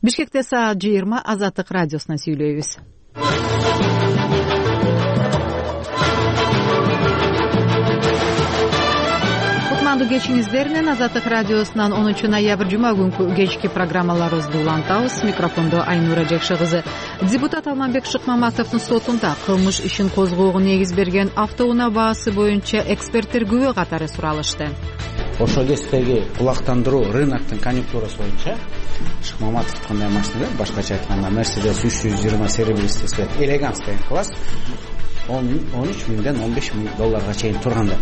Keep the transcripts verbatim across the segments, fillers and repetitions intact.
Бишкекте саат жыйырма Азаттык радиосуна сүйлөйбүз. Кутмандуу кечиңиздер менен Азаттык радиосунан онунчу ноябрь жума күнкү кечки программаларыбызды улантабыз. Микрофондо Айнура Жекши кызы. Депутат Алманбек Шыкмаматовдун сотунда кылмыш ишин козгоого негиз берген автоунаа баасы боюнча эксперттер күбө катары суралышты. Ошол кесиптеги кулактандыруу рыноктун конъюнктурасы боюнча Шыкмаматов кандай машина, башкача айтканда Mercedes үч жүз жыйырма серебристый цвет элеганс деген класс он үч миңден он беш миң долларга чейин турганда.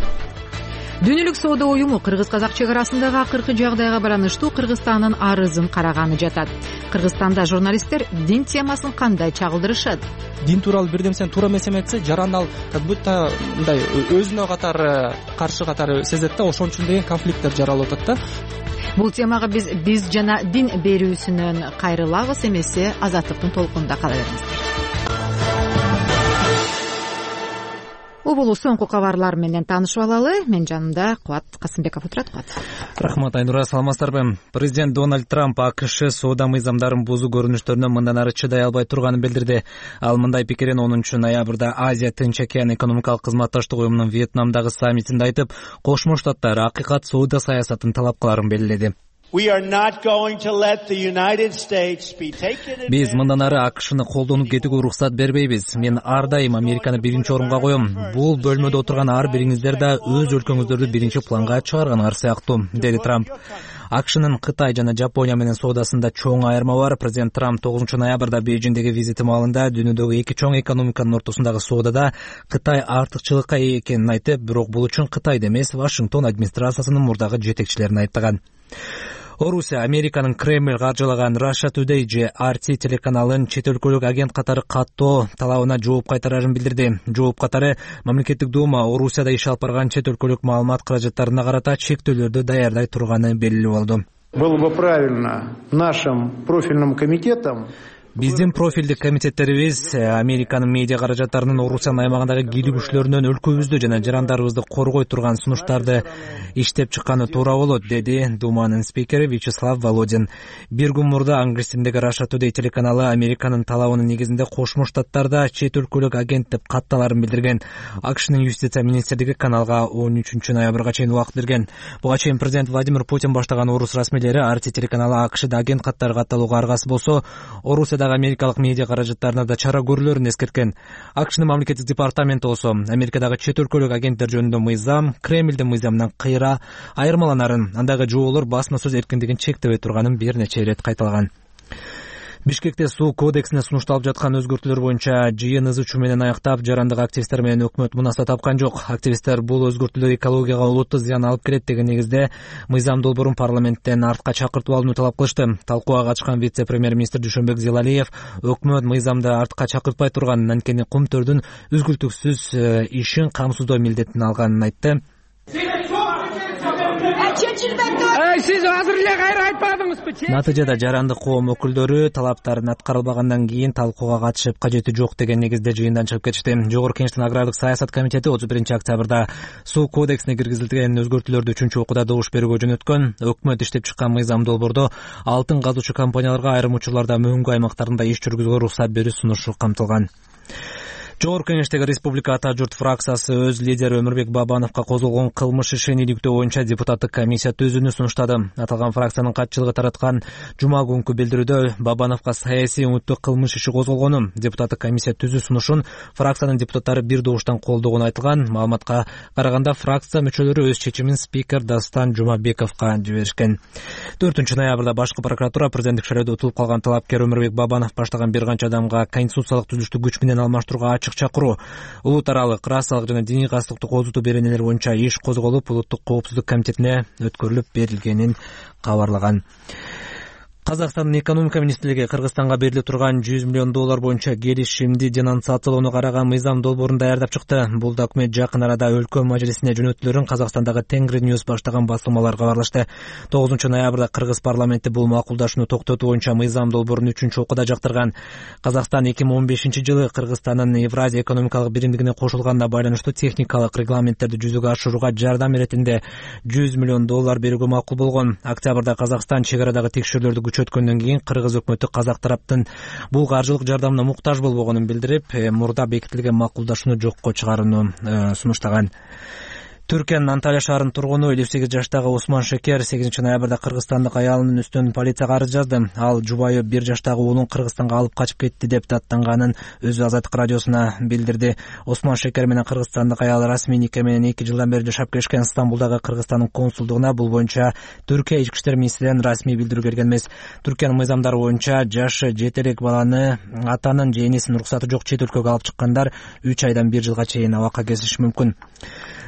Дүйнөлүк соода уюму кыргыз-казак чек арасындагы акыркы жагдайга байланыштуу Кыргызстандын арызын караганы жатат. Кыргызстанда журналисттер дин темасын кандай чагылдырышат? Дин тууралуу бир нерсени туура эмес эметсе, жарандал как будто мындай өзүнө катары каршы катары сезет да, ошон үчүн деген конфликттер жаралып атат да. Бул темага биз биз жана дин берүүсүнөн кайрылабыз, эмесе Азаттыктын толкунунда кала бериңиздер. Убулуу соңку кабарлар менен таанышып алалы. Мен жанымда Кубат Касымбеков отурат. Кубат. Рахмат, Айнура, саламатсыздарбы? Президент Дональд Трамп АКШ соода мыйзамдарын бузуу көрүнүштөрүнө мындан ары чыдай албай турганын билдирди. Ал мындай пикирин онунчу ноябрда Азия Тынч океан экономикалык кызматташтык уюмунун Вьетнамдагы саммитинде айтып, Кошмо Штаттар акыйкат соода саясатын талап кыларын белгиледи. Биз мындан ары АКШны колдонуп кетүүгө уруксат бербейбиз. Мен ар дайым Американы биринчи орунга коем. Бул бөлмөдө отурган ар бириңиздер да өз өлкөңүздөрдү биринчи планга чыгарганыңар сыяктуу, деди Трамп. АКШнын Кытай жана Жапония менен соодасында чоң айырма бар. Президент Трамп тогузунчу ноябрда Бейжиңдеги визити маалында дүйнөдөгү эки чоң экономиканын ортосундагы соодада Кытай артыкчылыкка ээ экенин айтып, бирок бул үчүн Кытайды эмес, Вашингтон администрациясынын мурдагы жетекчилерин айыптаган. Орусия Американын Кремль каржылаган Russia Today же ар ти телеканалын чет өлкөлүк агент катары каттоо талабына жооп кайтарарын билдирди. Жооп катары мамлекеттик дума Орусияда иш алып барган чет өлкөлүк маалымат каражаттарына карата чектөөлөрдү даярдай турганы белгилүү болду. Было бы правильно нашим профильным комитетам Биздин профилдик комитеттерибиз Американын медиа каражаттарынын Орусиянын аймагындагы кийлигүүчүлөрүнөн өлкөбүздү жана жарандарыбызды коргой турган сунуштарды иштеп чыкканы туура болот, деди Думанын спикери Вячеслав Володин. Бир күн мурда англис тилиндеги Russia Today телеканалы Американын талабынын негизинде Кошмо Штаттарда чет өлкөлүк агент деп катталарын билдирген. АКШнын юстиция министрлиги каналга он үчүнчү ноябрга чейин убакыт берген. Буга чейин президент Владимир Путин баштаган орус расмийлери ар ти телеканалы АКШда агент каттары катталууга аргасы болсо, Орусияда Америкалык медиа каражаттарына да чара көрүлөрүн эскерткен. АКШнын мамлекеттик департаменти болсо Америкадагы чет өлкөлүк агенттер жөнүндө мыйзам Кремлдин мыйзамынан кыйра айырмаланарын, андагы жоолор басма сөз эркиндигин чектебей турганын бир нече ирет кайталаган. Бишкекте суу кодексине сунушталып жаткан өзгөртүүлөр боюнча жыйын ыз учуу менен аяктап, жарандык активисттер менен өкмөт мунаса тапкан жок. Активисттер бул өзгөртүүлөр экологияга олуттуу зыян алып келет деген негизде мыйзам долбоорун парламенттен артка чакыртып алууну талап кылышты. Талкууга катышкан вице-премьер-министр Дүйшөнбек Зилалиев өкмөт мыйзамды артка чакыртпай турганын, анткени кумтөрдүн үзгүлтүксүз ишин камсыздоо милдетин алганын айтты. Сиз азыр эле кайра айтпадыңызбы? Натыйжада жарандык коом өкүлдөрү талаптарын аткарылбагандан кийин талкууга катышып, кажети жок деген негизде жыйындан чыгып кетишти. Жогорку Кеңештин агрардык саясат комитети отуз биринчи октябрда суу кодексине киргизилген өзгөртүүлөрдү үчүнчү окууда добуш берүүгө жөнөткөн. Өкмөт иштеп чыккан мыйзам долбоордо алтын казуучу компанияларга айрым учурларда мөңгү аймактарында иш жүргүзүүгө уруксат берүү сунушу камтылган. Жогорку Кеңештеги Республика Ата журт фракциясы өз лидери Өмүрбек Бабановго козголгон кылмыш ишин иликтөө боюнча депутаттык комиссия түзүүнү сунуштады. Аталган фракциянын катчылыгы тараткан жума күнкү билдирүүдө Бабановго саясий үмүттүү кылмыш иши козголгону, депутаттык комиссия түзүү сунушун фракциянын депутаттары бир добуштан колдогону айтылган. Маалыматка караганда фракция мүчөлөрү өз чечимин спикер Дастан Жумабековго жиберишкен. төртүнчү ноябрда башкы прокуратура президенттик шайлоодо утулуп калган талапкер Өмүрбек Бабанов баштаган бир канча адамга конституциялык түзүлүштү күч менен алмаштырууга чакыруу, улут аралык расалык жана диний кастыктуу козутуу беренелер боюнча иш козголуп, улуттук коопсуздук комитетине өткөрүлүп берилгенин кабарлаган. Казакстандын экономика министрлиги Кыргызстанга берилип турган жүз миллион доллар боюнча келишимди денонсациялоону караган мыйзам долбоорун даярдап чыкты. Бул документ жакын арада өлкө мажлисине жөнөтүлөрүн Казакстандагы Тенгри News баштаган басылмалар кабарлашты. тогузунчу ноябрда Кыргыз парламенти бул макулдашууну токтотуу боюнча мыйзам долбоорун үчүнчү окууда жактырган. Казакстан эки миң он бешинчи жылы Кыргызстандын Евразия экономикалык биримдигине кошулганына байланыштуу техникалык регламенттерди жүзөгө ашырууга жардам иретинде жүз миллион доллар берүүгө макул болгон. Октябрда Казакстан чек арадагы текшерүүлөрдү көчүп өткөндөн кийин кыргыз өкмөтү казак тараптын бул каржылык жардамына муктаж болбогонун билдирип, мурда бекитилген макулдашууну жокко чыгарууну сунуштаган. Түркиянын Анталия шаарынын тургуну элүү сегиз жаштагы Усман Шекер сегизинчи ноябрда кыргызстандык аялынын үстүнөн полицияга арыз жазды. Ал жубайы бир жаштагы уулун Кыргызстанга алып качып кетти деп даттанганын өзү Азаттык радиосуна билдирди. Усман Шекер менен кыргызстандык аял расмий нике менен эки жылдан бери жашап келишкен. Стамбулдагы Кыргызстандын консулдугуна бул боюнча Түркия ички иштер министрлигинен расмий билдирүү келген эмес. Түркиянын мыйзамдары боюнча жашы жете элек баланы атанын же энесинин уруксаты жок чет өлкөгө алып чыккандар үч айдан бир жылга чейин абакка кезиши мүмкүн.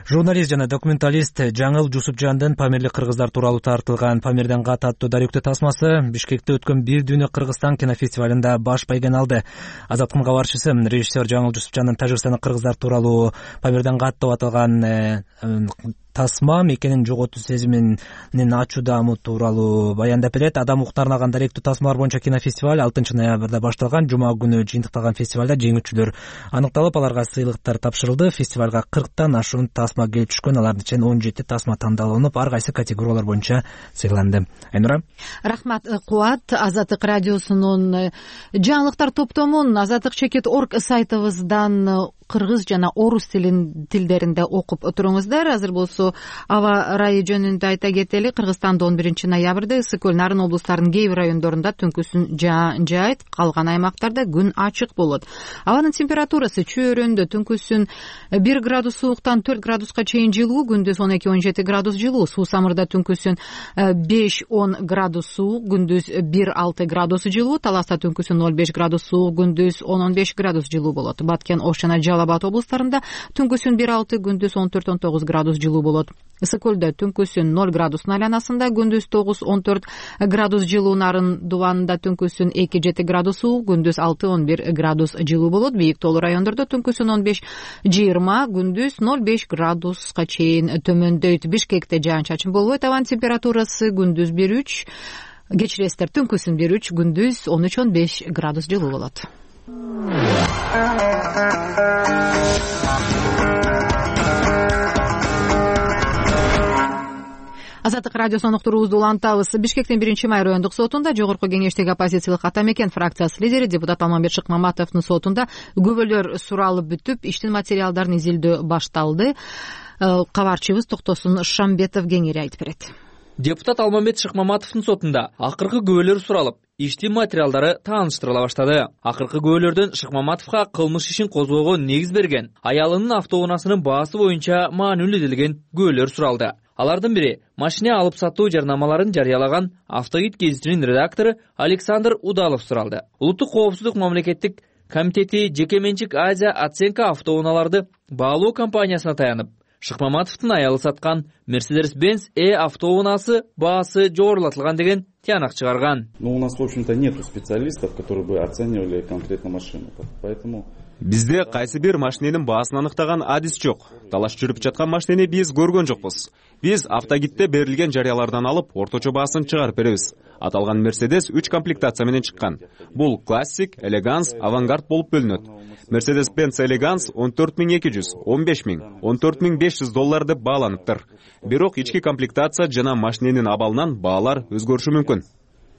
Журналист жана документалист Жаңыл Жусупжандын Памирлик кыргыздар тууралуу тартылган Памирден кат аттуу даректүү тасмасы Бишкекте өткөн Бир дүйнө Кыргызстан кинофестивалында баш байгени алды. Азаттыктын кабарчысы режиссер Жаңыл Жусупжандын Тажикстандын кыргыздар тууралуу Памирден кат деп аталган тасма мекенин жоготуу сезиминин ачуу даамы тууралуу баяндап берет. Адам укуктарына арналган даректүү тасмалар боюнча кинофестиваль алтынчы ноябрда башталган. Жума күнү жыйынтыкталган фестивалда жеңүүчүлөр аныкталып, аларга сыйлыктар тапшырылды. Фестивалга кырктан ашуун тасма келип түшкөн. Алардын ичинен он жети тасма тандалынып, ар кайсы категориялар боюнча сыйланды. Айнура. Рахмат, Кубат. Азаттык радиосунун жаңылыктар топтомун азаттык чекит орг сайтыбыздан кыргыз жана орус тилин тилдеринде окуп туруңуздар. Азыр болсо аба ырайы жөнүндө айта кетели. Кыргызстанда он биринчи ноябрда ысык көл, Нарын облустарынын кээ бир райондорунда түнкүсүн жаан жаайт, калган аймактарда күн ачык болот. Абанын температурасы чөйрөндө түнкүсүн бир градус сууктан төрт градуска чейин жылуу, күндүз он эки он жети градус жылуу. Суу самырда түнкүсүн беш он градус суук, күндүз бир алты градус жылуу. Таласта түнкүсүн ноль беш градус суук, күндүз он он беш градус жылуу болот. Баткен, Ош жана Жалал-Абад облустарында түнкүсүн бир алты, күндүз он төрт он тогуз градус жылуу болот. Ысык көлдө түнкүсүн ноль градустун айланасында, күндүз тогуз он төрт градус жылуу. Нарын дубанында түнкүсүн эки жети градус суук, күндүз алты он бир градус жылуу болот. Бийик тоолуу райондордо түнкүсүн он беш жыйырма, күндүз ноль беш градуска чейин төмөндөйт. Бишкекте жаан чачын болбойт. Абанын температурасы күндүз бир үч, кечиресиздер, түнкүсүн бир үч, күндүз он үч он беш градус жылуу болот. Азаттык радиосунун уктуруубузду улантабыз. Бишкектин биринчи май райондук сотунда жогорку кеңештеги оппозициялык ата мекен фракциясы лидери депутат Алмамбет Шыкмаматовдун сотунда күбөлөр суралып бүтүп, иштин материалдарын изилдөө башталды. Кабарчыбыз Токтосун Шамбетов кеңири айтып берет. Депутат Алмамбет Шыкмаматовдун сотунда акыркы күбөлөр суралып, иштин материалдары тааныштырыла баштады. Акыркы күбөлөрдөн Шыкмаматовго кылмыш ишин козгоого негиз берген аялынын автоунаасынын баасы боюнча маанилүү күбөлөр суралды. Алардын бири машина алып сатуу жарнамаларын жарыялаган Автогид гезитинин редактору Александр Удалов суралды. Улуттук коопсуздук мамлекеттик комитети жеке менчик Азия оценка автоунааларды баалоо компаниясына таянып, Шыкмаматовдун аялы саткан Mercedes-Benz E автоунаасы баасы жогорулатылган деген тыянак чыгарган. Но у нас, в общем-то, нету специалистов, которые бы оценивали конкретно машину. Поэтому бизде кайсы бир машиненин баасын аныктаган адис жок. Талаш жүрүп жаткан машинени биз көргөн жокпуз. Биз Автогидте берилген жарыялардан алып, орточо баасын чыгарып беребиз. Аталган Mercedes үч комплектация менен чыккан. Бул классик, элеганс, авангард болуп бөлүнөт. Mercedes-Benz элеганс он төрт миң эки жүз, он беш миң, он төрт миң беш жүз доллар деп бааланыптыр. Бирок ички комплектация жана машиненин абалынан баалар өзгөрүшү мүмкүн.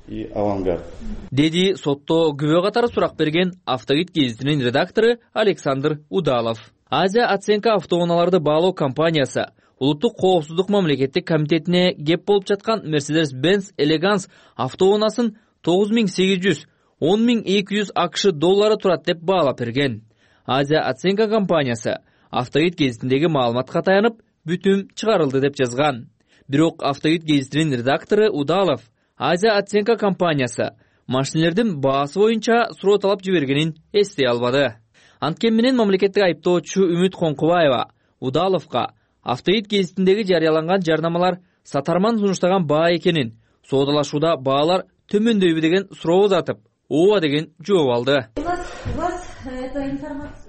И авангард. Деди сотто күбө катары сурак берген Автогид гезитинин редактору Александр Удалов. Азия оценка автоунааларды баалоо компаниясы Улуттук коопсуздук мамлекеттик комитетине кеп болуп жаткан Mercedes-Benz элеганс автоунаасын тогуз миң сегиз жүз, он миң эки жүз акш доллары турат деп баалап берген. Азия оценка компаниясы Автогид гезитиндеги маалыматка таянып, бүтүм чыгарылды деп жазган. Бирок Автогид гезитинин редактору Удалов Азия оценка компаниясы машинелердин баасы боюнча суроо талап жибергенин эстей албады. Анткени менен мамлекеттик айыптоочу Үмүт Коңкубаева Удаловго Автогид гезитиндеги жарыяланган жарнамалар сатарман сунуштаган баа экенин, соодалашууда баалар төмөндөйбү деген суроо uzatып, ооба деген жооп алды.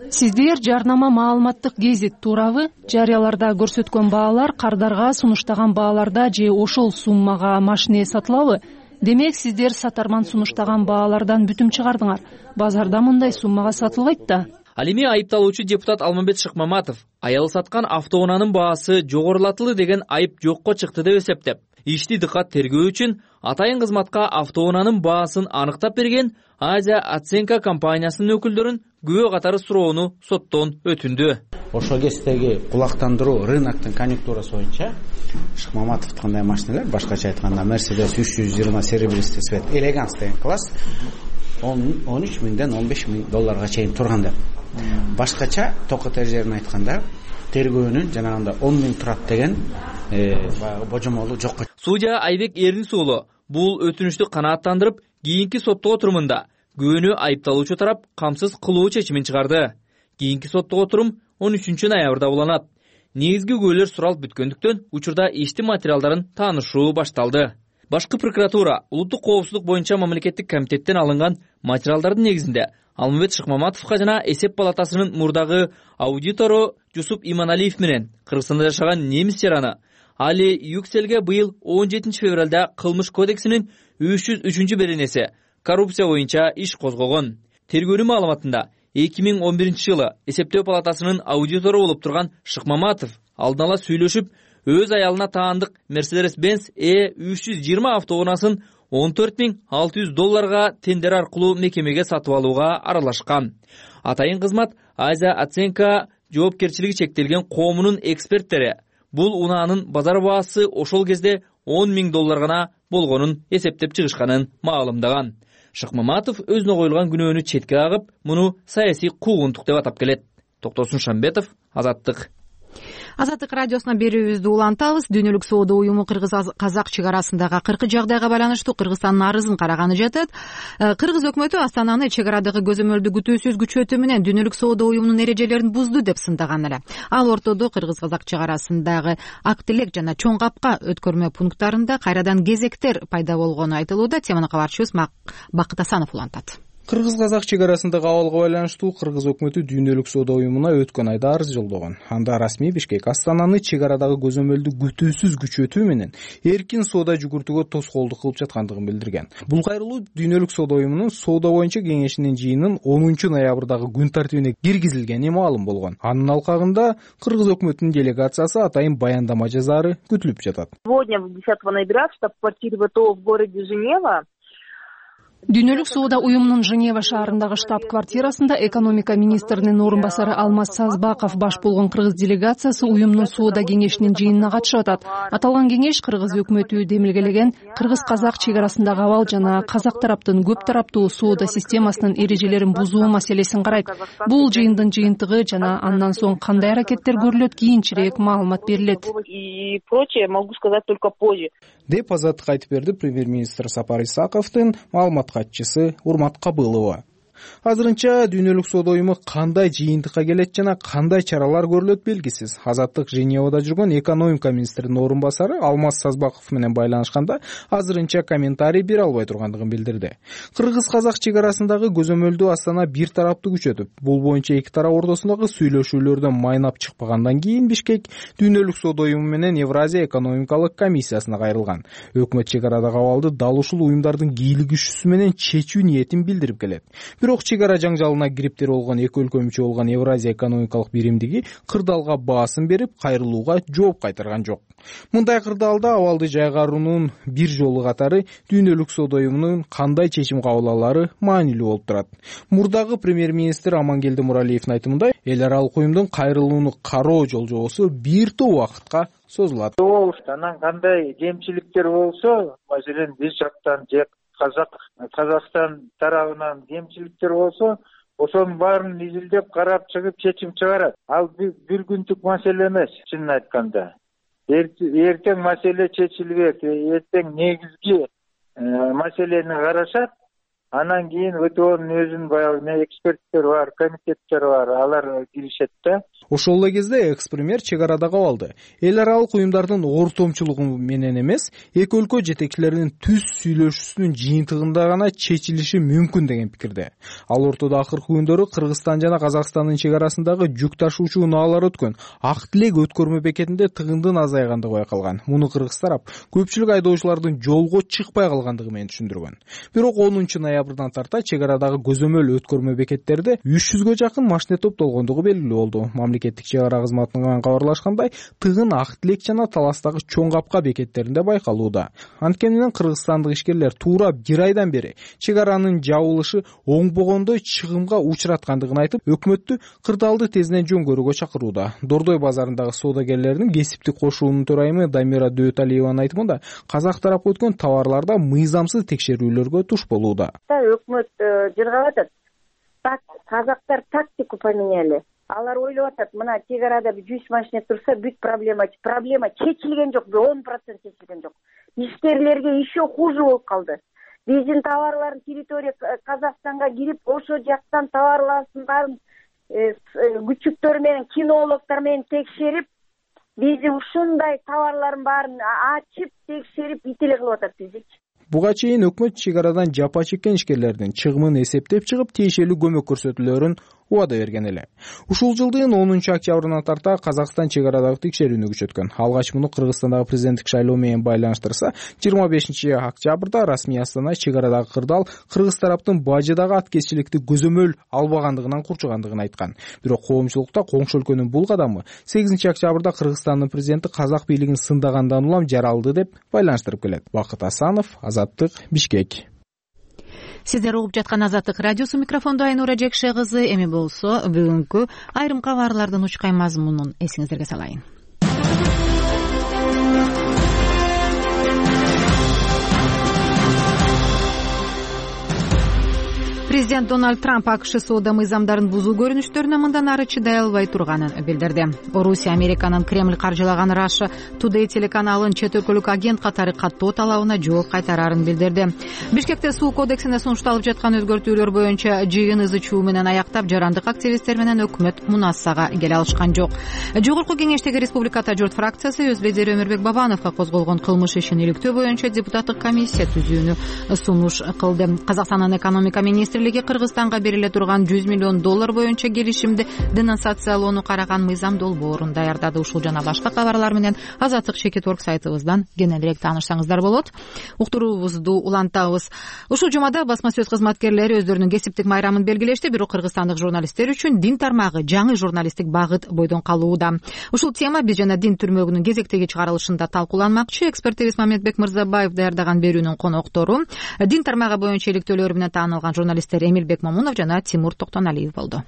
Сиздер жарнама маалыматтык гезит туурабы? Жарыяларда көрсөткөн баалар кардарга сунуштаган бааларда же ошол суммага машине сатылабы? Демек, сиздер сатарман сунуштаган баалардан бүтүм чыгардыңар. Базарда мындай суммага сатылбайт да. Ал эми айыпталуучу депутат Алмамбет Шыкмаматов аялы саткан автоунаанын баасы жогорулатылды деген айып жокко чыкты деп эсептеп, ишти дыкат тергөө үчүн атайын кызматка автоунаанын баасын аныктап берген Азия оценка компаниясынын өкүлдөрүн күбө катары суроону соттон өтүндү. Ошол кездеги кулактандыруу рыноктун конъюнктурасы боюнча Шыкмаматовдукундай машиналар, башкача айтканда Mercedes үч жүз жыйырма серебристый цвет элеганс деген класс он үч миңден он беш миң долларга чейин турган деп. Башкача токот эрежелерин айтканда тергөөнүн жанагында он миң турат деген баягы божомолу жок. Судья Айбек Эрнис уулу бул өтүнүштү канааттандырып, кийинки соттоо отурумунда күбөнү айыпталуучу тарап камсыз кылуу чечимин чыгарды. Кийинки соттоо отурум он үчүнчү ноябрда уланат. Негизги күбөлөр суралып бүткөндүктөн учурда иштин материалдарын таанышуу башталды. Башкы прокуратура улуттук коопсуздук боюнча мамлекеттик комитеттен алынган материалдардын негизинде Алмамбет Шыкмаматовго жана эсеп палатасынын мурдагы аудитору Жусуп Иманалиев менен Кыргызстанда жашаган немис жараны Али Юкселге быйыл он жетинчи февралда кылмыш кодексинин үч жүз үчүнчү беренеси коррупция боюнча иш козгогон. Тергөөнүн маалыматында эки миң он биринчи жылы эсептөө палатасынын аудитору болуп турган Шыкмаматов алдын ала сүйлөшүп, өз аялына таандык Mercedes-Benz E үч жүз жыйырма автоунаасын он төрт миң алты жүз долларга тендер аркылуу мекемеге сатып алууга аралашкан. Атайын кызмат Азия оценка жоопкерчилиги чектелген коомунун эксперттери бул унаанын базар баасы ошол кезде он миң доллар гана болгонун эсептеп чыгышканын маалымдаган. Шыкмаматов өзүнө коюлган күнөөнү четке кагып, муну саясий куугунтук деп атап келет. Токтосун Шамбетов, Азаттык. Азаттык радиосуна берүүбүздү улантабыз. Дүйнөлүк соода уюму Кыргыз-Казак чек арасындагы кыркы жагдайга байланыштуу Кыргызстандын арызын караганы жатат. Кыргыз өкмөтү Астананы чек арадагы көзөмөлдү күтүүсүз күчөтүү менен Дүйнөлүк соода уюмунун эрежелерин бузду деп сындаган эле. Ал ортодо Кыргыз-Казак чек арасындагы Актилек жана Чоң Капка өткөрмө пункттарында кайрадан кезектер пайда болгону айтылууда. Теманы кабарчыбыз Бакыт Асанов улантат. Кыргыз-Казак чек арасындагы абалга байланыштуу Кыргыз өкмөтү Дүйнөлүк соода уюмуна өткөн айда арыз жолдогон. Анда расмий Бишкек Астананы чек арадагы көзөмөлдү күтүүсүз күчөтүү менен эркин соода жүгүртүүгө тоскоолдук кылып жаткандыгын билдирген. Бул кайрылуу Дүйнөлүк соода уюмунун соода боюнча кеңешинин жыйынын онунчу ноябрдагы күн тартибине киргизилгени маалым болгон. Анын алкагында Кыргыз өкмөтүнүн делегациясы атайын баяндама жазаары күтүлүп жатат. Сегодня, десятого ноября, в штаб-квартире ВТО в городе Женева Дүйнөлүк соода уюмунун Женева шаарындагы штаб-квартирасында экономика министринин орун басары Алмаз Сазбаков баш болгон кыргыз делегациясы уюмдун соода кеңешинин жыйынына катышып атат. Аталган кеңеш Кыргыз өкмөтү демилгелеген Кыргыз-Казак чек арасындагы абал жана казак тараптын көп тараптуу соода системасынын эрежелерин бузуу маселесин карайт. Бул жыйындын жыйынтыгы жана андан соң кандай аракеттер көрүлөт кийинчерээк маалымат берилет. И прочее могу сказать только позже. Деп Азаттык айтып берди премьер-министр Сапар Исаковдун маалымат катчысы Урмат Кабылова. Азырынча Дүйнөлүк соода уюму кандай жыйынтыкка келет жана кандай чаралар көрүлөт белгисиз. Азаттык Женевада жүргөн экономика министринин орун басары Алмаз Сазбаков менен байланышканда азырынча комментарий бере албай тургандыгын билдирди. Кыргыз-Казак чек арасындагы көзөмөлдү Астана бир тараптуу күчөтүп, бул боюнча эки тарап ортосундагы сүйлөшүүлөрдөн майнап чыкпагандан кийин Бишкек Дүйнөлүк соода уюму менен Евразия экономикалык комиссиясына кайрылган. Өкмөт чек арадагы абалды дал ушул уюмдардын кийлик күчүсү менен чечүү ниетин билдирип келет. Бирок чек ара жаңжалына кириптер болгон эки өлкө мүчө болгон Евразия экономикалык биримдиги кырдаалга баасын берип, кайрылууга жооп кайтарган жок. Мындай кырдаалда абалды жайгаруунун бир жолу катары Дүйнөлүк соода уюмунун кандай чечим кабыл алары маанилүү болуп турат. Мурдагы премьер-министр Амангелди Муралиевдин айтымында эл аралык уюмдун кайрылууну кароо жолжобосу бир топ убакытка созулат. Анан кандай кемчиликтер болсо, маселен биз жактан же Казак Казакстан тарабынан кемчиликтер болсо, ошонун баарын изилдеп карап чыгып чечим чыгарат. Ал бир күндүк маселе эмес, чынын айтканда. Эртең маселе чечилбек, эртең негизги маселени карашат. Анан кийин ВТОнун өзүнүн баягы эксперттер бар, комитеттер бар, алар киришет да. Ошол эле кезде экс-премьер чек арадагы абалды эл аралык уюмдардын ортомчулугу менен эмес, эки өлкө жетекчилеринин түз сүйлөшүүсүнүн жыйынтыгында гана чечилиши мүмкүн деген пикирде. Ал ортодо акыркы күндөрү Кыргызстан жана Казакстандын чек арасындагы жүк ташуучу унаалар өткөн Актилек өткөрмө бекетинде тыгындын азайгандыгы байкалган. Муну кыргыз тарап көпчүлүк айдоочулардын жолго чыкпай калгандыгы менен түшүндүргөн. Бирок онунчу ноябрда ноябрдан тарта чек арадагы көзөмөл өткөрмө бекеттерде үч жүзгө жакын машине топтолгондугу белгилүү болду. Мамлекеттик чек ара кызматынан кабарлашкандай, тыгын Ак Тилек жана Таластагы Чоң Капка бекеттеринде байкалууда. Анткени менен кыргызстандык ишкерлер туура бир айдан бери чек аранын жабылышы оңбогондой чыгымга учураткандыгын айтып, өкмөттү кырдаалды тезинен жөнгөрүүгө чакырууда. Дордой базарындагы соодагерлердин кесиптик кошуунун төрайымы Дамира Дөталиеванын айтымында, казак тарапы өткөн товарларда мыйзамсыз текшерүүлөргө туш болууда. Өкмөт жыргап атат. Так, казактар тактику поменяли. Алар ойлоп атат, мына чек арада жүз машина турса, бүт проблема, проблема чечилген жок, он процент чечилген жок. Ишкерлерге еще хуже болуп калды. Биздин товарларын территория Казакстанга кирип, ошо жактан товарларын баарын күчүктөр менен, кинологдор менен текшерип, биз ушундай товарлардын баарын ачып, текшерип, ителе кылып атат бизди. Буга чейин өкмөт чек арадан жапа чеккен ишкерлердин чыгымын эсептеп чыгып, тиешелүү көмөк көрсөтүүлөрүн убада берген эле. Ушул жылдын онунчу октябрынан тарта Казакстан чек арадагы текшерүүнү күчөткөн. Алгач муну Кыргызстандагы президенттик шайлоо менен байланыштырса, жыйырма бешинчи октябрда расмий Астана чек арадагы кырдаал кыргыз тараптын бажыдагы аткезчиликти көзөмөл албагандыгынан курчугандыгын айткан. Бирок коомчулукта коңшу өлкөнүн бул кадамы сегизинчи октябрда Кыргызстандын президенти казак бийлигин сындагандан улам жаралды деп байланыштырып келет. Бакыт Асанов, Азаттык, Бишкек. Сиздер угуп жаткан Азаттык радиосу, микрофондо Айнура Жекше кызы. Эми болсо бүгүнкү айрым кабарлардын учкай мазмунун эсиңиздерге салайын. Президент Дональд Трамп АКШ соода мыйзамдарын бузуу көрүнүштөрүнө мындан ары чыдай албай турганын билдирди. Орусия Американын Кремль каржылаган Russia Today телеканалын чет өлкөлүк агент катары каттоо талабына жооп кайтарарын билдирди. Бишкекте суу кодексине сунушталып жаткан өзгөртүүлөр боюнча жыйын ызы чуу менен аяктап, жарандык активисттер менен өкмөт мунасага келе алышкан жок. Жогорку кеңештеги Республика Журт фракциясы өз лидери Өмүрбек Бабановго козголгон кылмыш ишин иликтөө боюнча депутаттык комиссия түзүүнү сунуш кылды. Казакстандын экономика министри Кыргызстанга бериле турган жүз миллион доллар боюнча келишимди денонсациялоону караган мыйзам долбоорун даярдады. Ушул жана башка кабарлар менен Азаттык чекит орг сайтыбыздан кененирээк таанышсаңыздар болот. Уктуруубузду улантабыз. Ушул жумада басма сөз кызматкерлери өздөрүнүн кесиптик майрамын белгилешти, бирок кыргызстандык журналисттер үчүн дин тармагы жаңы журналисттик багыт бойдон калууда. Ушул тема биз жана дин түрмөгүнүн кезектеги чыгарылышында талкууланмакчы. Эксперт Мамедбек Мырзабаев даярдаган берүүнүн коноктору дин тармагы боюнча иликтөөлөрү менен таанылган журналист Эмилбек Момунов жана Тимур Токтоналиев болду.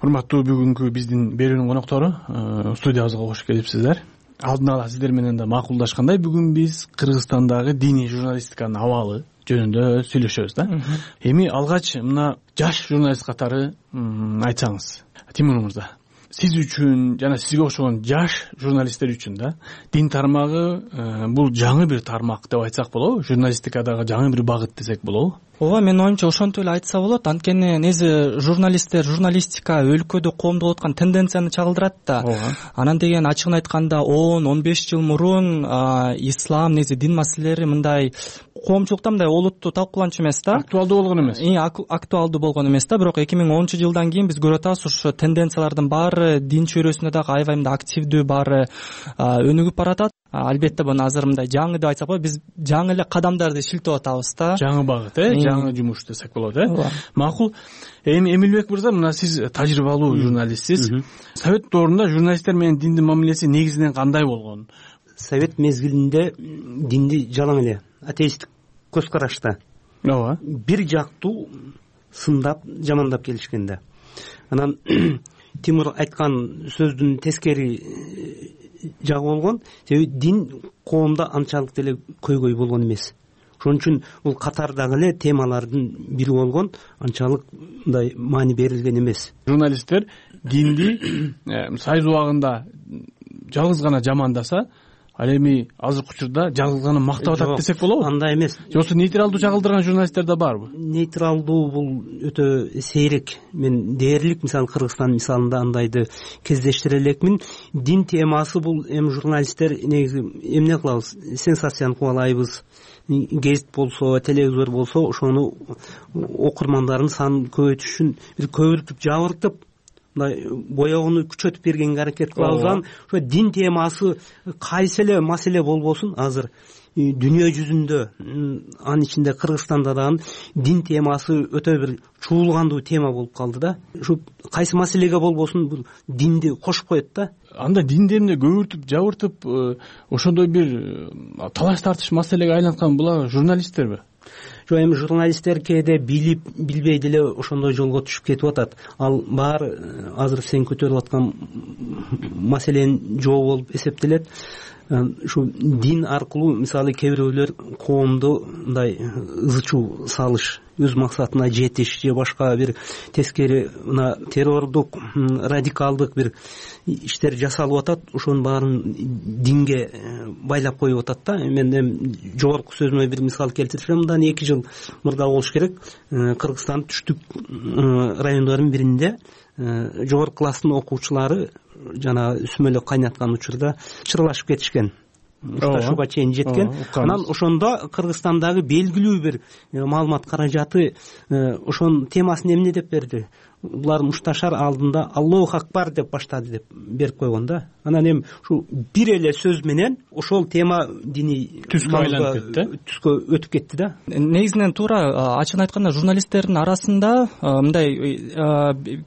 Урматтуу бүгүнкү биздин берүүнүн коноктору студиябызга кош келипсиздер. Алдын ала сиздер менен да макулдашкандай, бүгүн биз Кыргызстандагы диний журналистиканын абалы жөнүндө сүйлөшөбүз да. Эми алгач мына жаш журналист катары айтсаңыз, Тимур мырза, сиз үчүн жана сизге окшогон жаш журналисттер үчүн да дин тармагы бул жаңы бир тармак деп айтсак болобу? Журналистикадагы жаңы бир багыт десек болобу? Ооба, менин оюмча ошентип эле айтса болот. Анткени неси журналисттер, журналистика өлкөдө коомдук болуп аткан тенденцияны чагылдырат да. Анан деген ачыгын айтканда он он беш жыл мурун ислам, неси дин маселелери мындай коомчулукта мындай олуттуу талкууланчу эмес да. Актуалдуу болгон эмес. И актуалдуу болгон эмес да. Бирок эки миң онунчу жылдан кийин биз көрүп атабыз, ошо тенденциялардын баары дин чөйрөсүндө дагы аябай мындай активдүү, баары өнүгүп баратат. Албетте буну азыр мындай жаңы деп айтсак болот, биз жаңы эле кадамдарды шилтеп атабыз да. Жаңы багыт, э, жаңы жумуш десек болот, э. Макул. Эми Эмилбек мырза, мына сиз тажрыйбалуу журналистсиз. Совет доорунда журналисттер менен диндин мамилеси негизинен кандай болгон? Совет мезгилинде динди жалаң эле атеисттик көз карашта. Ооба. Бир жактуу сындап, жамандап келишкен да. Анан Тимур айткан сөздүн тескери жагы болгон. Себеби дин коомдо анчалык деле көйгөй болгон эмес. Ошон үчүн бул катардагы эле темалардын бири болгон, анчалык мындай маани берилген эмес. Журналисттер динди сайыз убагында жалгыз гана жамандаса, ал эми азыркы учурда жалгыз гана мактап атат десек болобу? Андай эмес. Жоксу нейтралдуу чагылдырган журналисттер да барбы? Нейтралдуу бул өтө сейрек. Мен дээрлик, мисалы Кыргызстан мисалында андайды кездештире элекмин. Дин темасы бул эми журналисттер негизи эмне кылабыз? Сенсацияны кубалайбыз. Гезит болсо, телевизор болсо, ошону окурмандардын санын көбөйтүш үчүн бир көбүртүп, жабыртып, мындай боёгуну күчөтүп бергенге аракет кылабыз. Ошо дин темасы кайсы эле маселе болбосун, азыр дүйнө жүзүндө, анын ичинде Кыргызстанда дагы дин темасы өтө бир чуулгандуу тема болуп калды да. Ушу кайсы маселеге болбосун бул динди кошуп коет да. Анда динди эмне көбүртүп жабыртып ошондой бир талаш тартыш маселеге айланткан булар журналисттерби? Жок, эми журналисттер кээде билип билбей деле ошондой жолго түшүп кетип атат. Ал баары азыр сен көтөрүп аткан маселенин жообу болуп эсептелет. Ушу дин аркылуу мисалы кээ бирөөлөр коомду мындай ызы чуу салыш, өз максатына жетиш же башка бир тескери мына террордук, радикалдык бир иштер жасалып атат. Ошонун баарын динге байлап коюп атат да. Мен эми жогорку сөзүмө бир мисал келтирсем, мындан эки жыл мурда болуш керек, Кыргызстандын түштүк райондорунун биринде жогорку класстын окуучулары жана үсмөлөк кайнаткан учурда чырылашып кетишкен, укташууга чейин жеткен. Анан ошондо Кыргызстандагы белгилүү бир маалымат каражаты ошонун темасын эмне деп берди? Булар мушташар алдында Аллаху акбар деп баштады деп берип койгон да. Анан эми ушу бир эле сөз менен ошол тема дини түскө айланып кетти, түскө өтүп кетти да. Негизинен туура ачыгын айтканда журналисттердин арасында мындай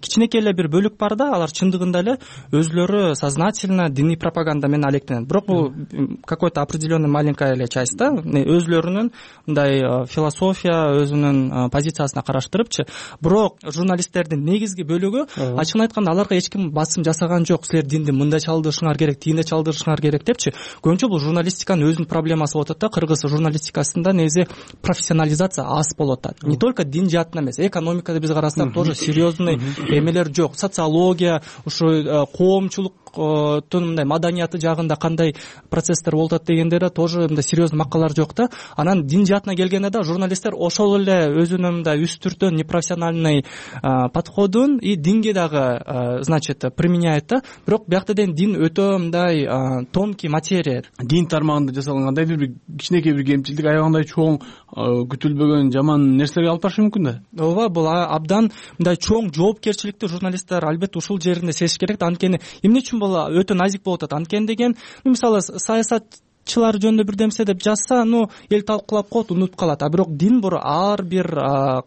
кичинекей эле бир бөлүк бар да, алар чындыгында эле өзүлөрү сознательно диний пропаганда менен алектенет. Бирок бул какой-то определенный маленькая эле часть да, өзүлөрүнүн мындай философия, өзүнүн позициясына караштырыпчы. Бирок журналисттердин негизги бөлүгү ачыгын айтканда аларга эч ким басым жасаган жок. Силер динди мындай чалдырышыңар керек, тигиндей чалдырышыңар керек депчи. Көбүнчө бул журналистиканын өзүнүн проблемасы болуп атат да. Кыргыз журналистикасында негизи профессионализация аз болуп атат. Не только дин жаатынан эмес, экономикада биз карасак тоже серьезный эмелер жок. Социология, ушу коомчулук мындай маданияты жагында кандай процесстер болуп атат дегендер тоже мындай серьезный макалалар жок да. Анан дин жаатына келгенде да журналисттер ошол эле өзүнүн мындай үстүртөн непрофессиональный подходун и динге дагы значит применяет да. Бирок биякта ден дин өтө мындай тонкий материя. Дин тармагында жасалган кандайдыр бир кичинекей бир кемчилдик аябагандай чоң күтүлбөгөн жаман нерселерге алып барышы мүмкүн да. Ооба, бул абдан мындай чоң жоопкерчиликти журналисттер албетте ушул жеринде сезиш керек да. Анткени эмне үчүн бул өтө назик болуп атат? Анткени деген мисалы саясатчылар жөнүндө бир демсе деп жазса, ну эл талкуулап коет, унутуп калат. А бирок дин бир ар бир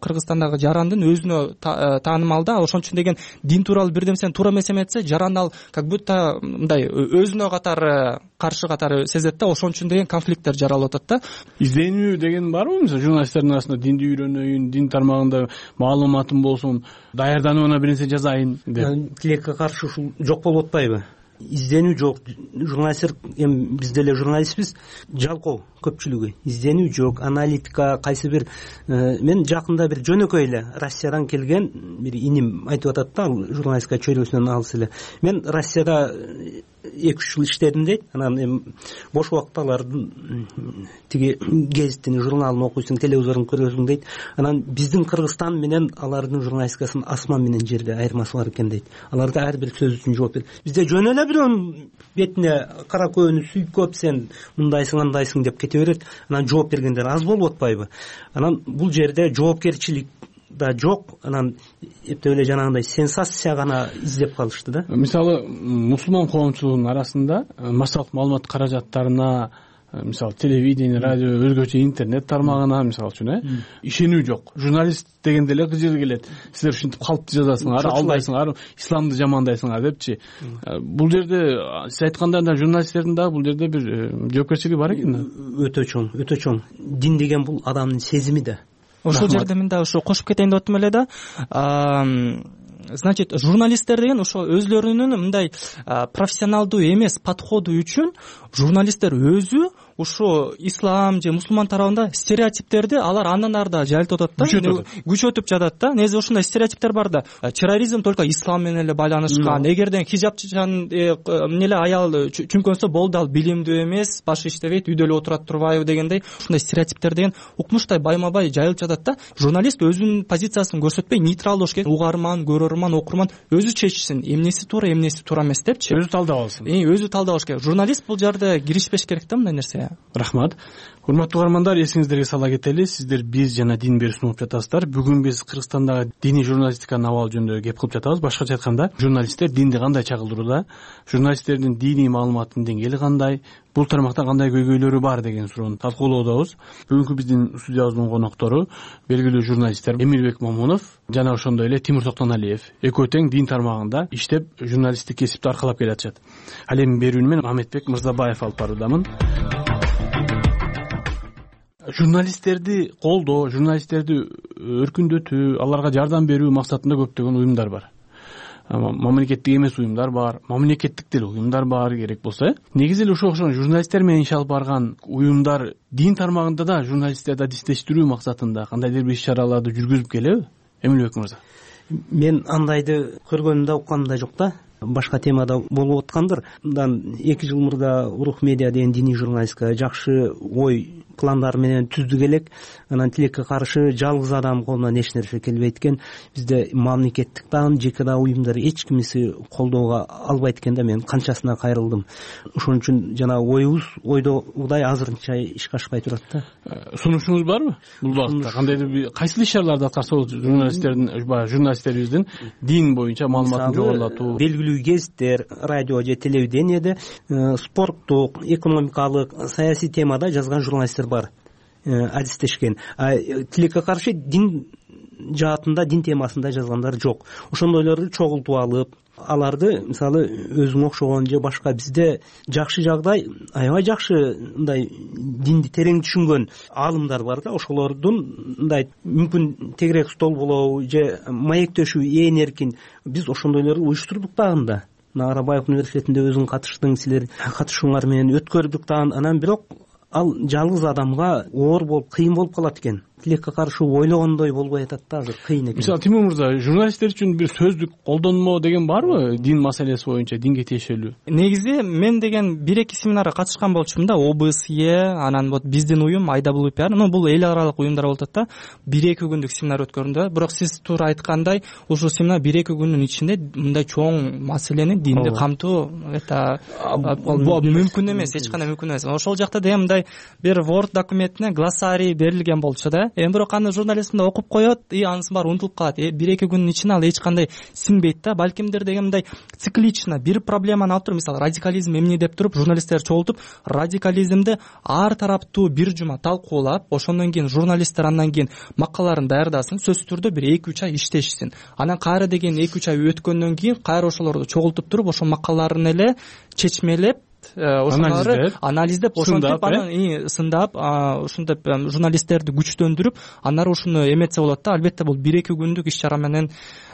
Кыргызстандагы жарандын өзүнө таанымал да. Ошон үчүн деген дин тууралуу бир демсени туура эмес эметсе, жаран ал как будто мындай өзүнө катары каршы катары сезет да. Ошон үчүн деген конфликттер жаралып атат да. Изденүү деген барбы? Мисалы журналисттердин арасында динди үйрөнөйүн, дин тармагында маалыматым болсун, даярданып ана бир нерсе жазайын деп. Тилекке каршы ушул жок болуп атпайбы? Изденүү жок. Журналисттер, эми биз деле журналистпиз, жалкоо көпчүлүгү. Изденүү жок, аналитика, кайсы бир мен жакында бир жөнөкөй эле Россиядан келген бир иним айтып атат да, журналистика чөйрөсүнөн алыс эле. Мен Россияда эки үч жыл иштедим дейт. Анан эми бош убакталардын тиги гезиттин, журналын окуйсуң, телевизорун көрөсүң дейт. Анан биздин Кыргызстан менен алардын журналистикасынын асман менен жерде айырмасы бар экен дейт. Аларда ар бир сөз үчүн жооп берет. Бизде жөн эле бирөөнүн бетине кара көөнү сүйкөп, сен мындайсың, андайсың деп кете берет. Анан жооп бергендер аз болуп атпайбы? Анан бул жерде жоопкерчилик да жок. Анан эптеп эле жанагындай сенсация гана издеп калышты да. Мисалы мусулман коомчулугунун арасында массалык маалымат каражаттарына, мисалы телевидение, радио, өзгөчө интернет тармагына мисалы үчүн э ишенүү жок. Журналист дегенде эле кыжыр келет. Силер ушинтип калпты жазасыңар, алдайсыңар, исламды жамандайсыңар депчи. Бул жерде сиз айткандай журналисттердин дагы бул жерде бир жоопкерчилиги бар экен да. Өтө чоң, өтө чоң. Дин деген бул адамдын сезими да. Ошол жерде мен дагы ушу кошуп кетейин деп атам эле да. Значит, журналисттер деген ошо өзлөрүнүн мындай профессионалдуу эмес подходу үчүн журналисттер өзү ушу ислам же мусулман тарабында стереотиптерди алар андан ары да жайылтып атат да, күчөтүп жатат да. Негизи ушундай стереотиптер бар да. Терроризм только ислам менен эле байланышкан. Эгерден хижабчан эмне эле аял чүнкөнсө болду, ал билимдүү эмес, башы иштебейт, үйдө эле отурат турбайбы дегендей ушундай стереотиптер деген укмуштай байма-бай жайылып жатат да. Журналист өзүнүн позициясын көрсөтпөй нейтрал болуш керек. Угарман, көрөрман, окурман өзү чечсин, эмнеси туура, эмнеси туура эмес депчи. Өзү талдап алсын. Өзү талдап алыш керек. Журналист бул жерде киришпеш керек да мындай нерсеге. эле. Рахмат. Урматтуу угармандар, эсиңиздерге сала кетели, сиздер биз жана дин берүү сунуп жатасыздар. Бүгүн биз Кыргызстандагы диний журналистиканын абалы жөнүндө кеп кылып жатабыз. Башкача айтканда, журналисттер динди кандай чагылдырууда, журналисттердин диний маалыматтын деңгээли кандай, бул тармакта кандай көйгөйлөрү бар деген суроону талкуулоодобуз. Бүгүнкү биздин студиябыздын коноктору белгилүү журналисттер Эмилбек Момунов жана ошондой эле Тимур Токтоналиев. Экөө тең дин тармагында иштеп, журналисттик кесипти аркалап келатышат. Ал эми берүүнү мен Мамедбек Мырзабаев алып баруудамын. Журналисттерди колдоо, журналисттерди өркүндөтүү, аларга жардам берүү максатында көптөгөн уюмдар бар. Мамлекеттик эмес уюмдар бар, мамлекеттик деле уюмдар бар керек болсо. Негизи эле ошо окшогон журналисттер менен иш алып барган уюмдар дин тармагында да журналисттерди адистештирүү максатында кандайдыр бир иш-чараларды жүргүзүп келеби? Эмилбек мырза. Мен андайды көргөнүм да укканым да жок да. Башка темада болуп аткандыр. Мындан эки жыл мурда Урух медиа деген диний журналистика жакшы ой пландар менен түздүк элек. Анан тилекке каршы жалгыз адам колунан эч нерсе келбейт экен. Бизде мамлекеттик дагы жеке да уюмдар эч кимиси колдоого албайт экен да. Мен канчасына кайрылдым. Ошон үчүн жана оюбуз ойдогудай азырынча ишке ашпай турат да. Сунушуңуз барбы? Бул багытта кандайдыр бир кайсы иш-чараларды аткарса болот журналисттердин, журналисттерибиздин дин боюнча маалыматын жогорулатуу? Белгилүү гезиттер, радио же телевидениеде спорттук, экономикалык, саясий темада жазган журналисттер бар, адистешкен. Тилекке каршы дин жаатында, дин темасында жазгандар жок. Ошондойлорду чогултуп алып, аларды мисалы өзүңө окшогон же башка бизде жакшы жагдай, аябай жакшы мындай динди терең түшүнгөн аалымдар бар да, ошолордун мындай мүмкүн тегерек стол болобу же маектешүү ээн эркин биз ошондойлорду уюштурдук дагы. Арабаев университетинде өзүң катыштың, силер катышууңар менен өткөрдүк дагы. Анан бирок ал жалгыз адамга оор болуп, кыйын болуп калат экен. Тилекке каршы ойлогондой болбой атат да, азыр кыйын экен. Мисалы Тимур мырза, журналисттер үчүн бир сөздүк колдонмо деген барбы дин маселеси боюнча, динге тиешелүү? Негизи мен деген бир эки семинарга катышкан болчумун да, ОБСЕ, анан вот биздин уюм ай дабл ю пи ар, ну бул эл аралык уюмдар болуп атат да. бир эки күндүк семинар өткөрдүм да. Бирок сиз туура айткандай, ушул семинар бир эки күндүн ичинде мындай чоң маселени динди камтуу это мүмкүн эмес, эч кандай мүмкүн эмес. Ошол жакта деген мындай бир Word документине глоссарий берилген болчу да. Эми бирок аны журналист мындай окуп коет, и анысы баары унутулуп калат. бир эки күндүн ичинде ал эч кандай сиңбейт да. Балкимдир деген мындай циклично бир проблеманы алып туруп, мисалы радикализм эмне деп туруп, журналисттер чогултуп, радикализмди ар тараптуу бир жума талкуулап, ошондон кийин журналисттер андан кийин макалаларын даярдасын, сөзсүз түрдө бир эки үч ай иштешсин. Анан кайра деген эки үч ай өткөндөн кийин кайра ошолорду чогултуп туруп, ошол макалаларын эле чечмелеп, ошолорду анализдеп, ошентип анан сындап, ушинтип журналисттерди күчтөндүрүп, анары ушуну эметсе болот да. Албетте бул бир эки күндүк иш-чара менен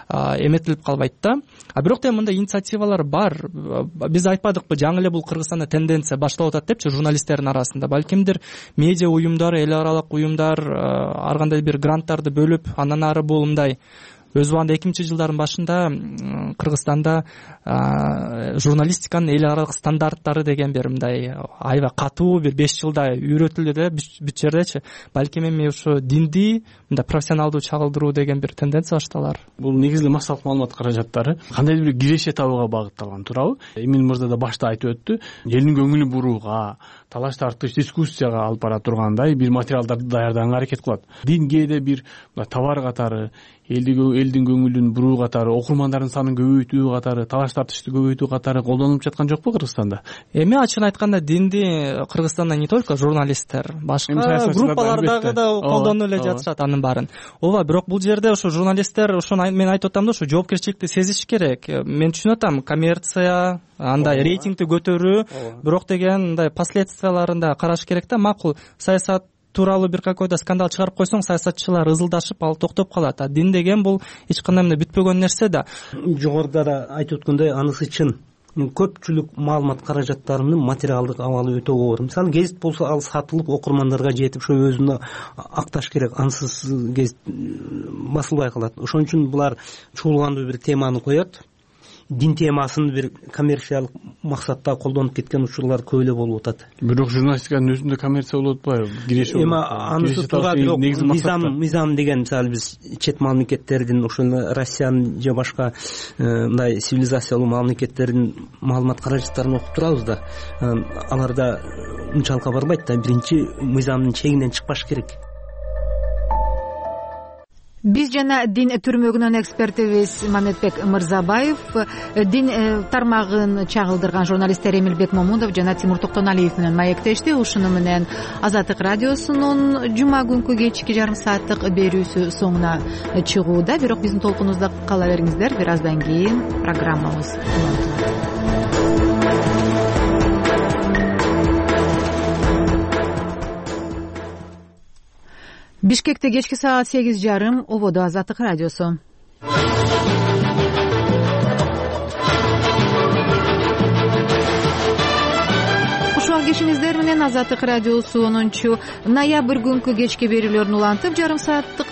эметилип калбайт да. А бирок да мындай инициативалар бар. Биз айтпадыкпы, жаңы эле бул Кыргызстанда тенденция башталып атат депчи журналисттердин арасында. Балкимдир медиа уюмдар, эл аралык уюмдар ар кандай бир гранттарды бөлүп, андан ары бул мындай өз убагында эки миңинчи жылдардын башында Кыргызстанда журналистиканын эл аралык стандарттары деген бир мындай аябай катуу бир беш жылда үйрөтүлдү да бүт жердечи. Балким эми ушу динди мындай профессионалдуу чагылдыруу деген бир тенденция башталар. Бул негизги массалык маалымат каражаттары кандайдыр бир киреше табууга багытталган, туурабы? Эмил мырза да башта айтып өттү. Элдин көңүлүн бурууга, талаш тартыш, дискуссияга алып бара тургандай бир материалдарды даярдаганга аракет кылат. Дин кээде бир товар катары, элдин көңүлүн буруу катары, окурмандардын санын көбөйтүү катары, талаш тартышты көбөйтүү катары колдонулуп жаткан жокпу Кыргызстанда? Эми ачыгын айтканда динди Кыргызстанда не только журналисттер, башка группалардагы да колдонуп эле жатышат анын баарын. Ооба, бирок бул жерде ошо журналисттер, ошону мен айтып атам да, ошо жоопкерчиликти сезиш керек. Мен түшүнүп атам, коммерция, андай рейтингди көтөрүү, бирок деген мындай последствияларын да караш керек да. Макул саясат тууралуу бир какой-то скандал чыгарып койсоң, саясатчылар ызылдашып, ал токтоп калат. А дин деген бул эч кандай мындай бүтпөгөн нерсе да. Жогоруда да айтып өткөндөй, анысы чын. Көпчүлүк маалымат каражаттарынын материалдык абалы өтө оор. Мисалы гезит болсо, ал сатылып окурмандарга жетип, ошо өзүнө акташ керек. Ансыз гезит басылбай калат. Ошон үчүн булар чуулгандуу бир теманы коет. дин темасын бир коммерциялык максатта колдонуп кеткен учурлар көп эле болуп атат. Бирок журналистиканын өзүндө коммерция болуп атпайбы? Киреше эми анысы туура, бирок мыйзам мыйзам деген мисалы биз чет мамлекеттердин, ошол Россиянын же башка мындай цивилизациялуу мамлекеттердин маалымат каражаттарын окуп турабыз да, аларда унчалык барбайт да. Биринчи мыйзамдын чегинен чыкпаш керек. Биз жана дин түрмөгүнөн экспертибиз Мамедбек Мырзабаев, дин тармагын чагылдырган журналисттер Эмилбек Момунов жана Тимур Токтоналиев менен маектешти. Ушуну менен Азаттык радиосунун жума күнкү кечки жарым сааттык берүүсү соңуна чыгууда. Бирок биздин толкунубузда кала бериңиздер, бир аздан кийин программабыз Бишкекте кечки саат сегиз жарым, ободо Азаттык радиосу. Ушул кечиңиздер менен Азаттык радиосу онунчу ноябрь күнкү кечки берүүлөрүн улантып, жарым сааттык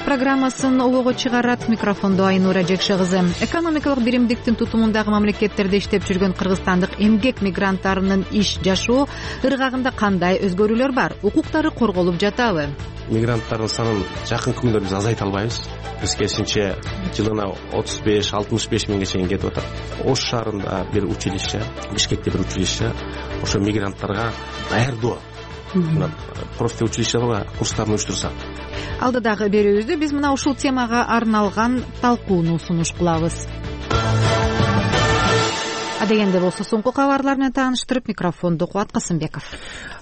программасын обого чыгарат. Микрофондо Айнура Жекше кызы. Экономикалык биримдиктин тутумундагы мамлекеттерде иштеп жүргөн кыргызстандык эмгек мигранттарынын иш жашоо ыргагында кандай өзгөрүүлөр бар? Укуктары корголуп жатабы? Мигранттардын санын жакынкы күндөрдө биз азайта албайбыз. Биз керисинче жылына отуз беш алтымыш беш миңге чейин кетип атат. Ош шаарында бир училище, Бишкекте бир училище ошо мигранттарга даярдоо, просто училищелерге курстарын уюштурса. Алдыдагы берүүбүздө биз мына ушул темага арналган талкууну сунуш кылабыз. Адегенде болсо соңку кабарлар менен тааныштырып, микрофонду Кубат Касымбеков.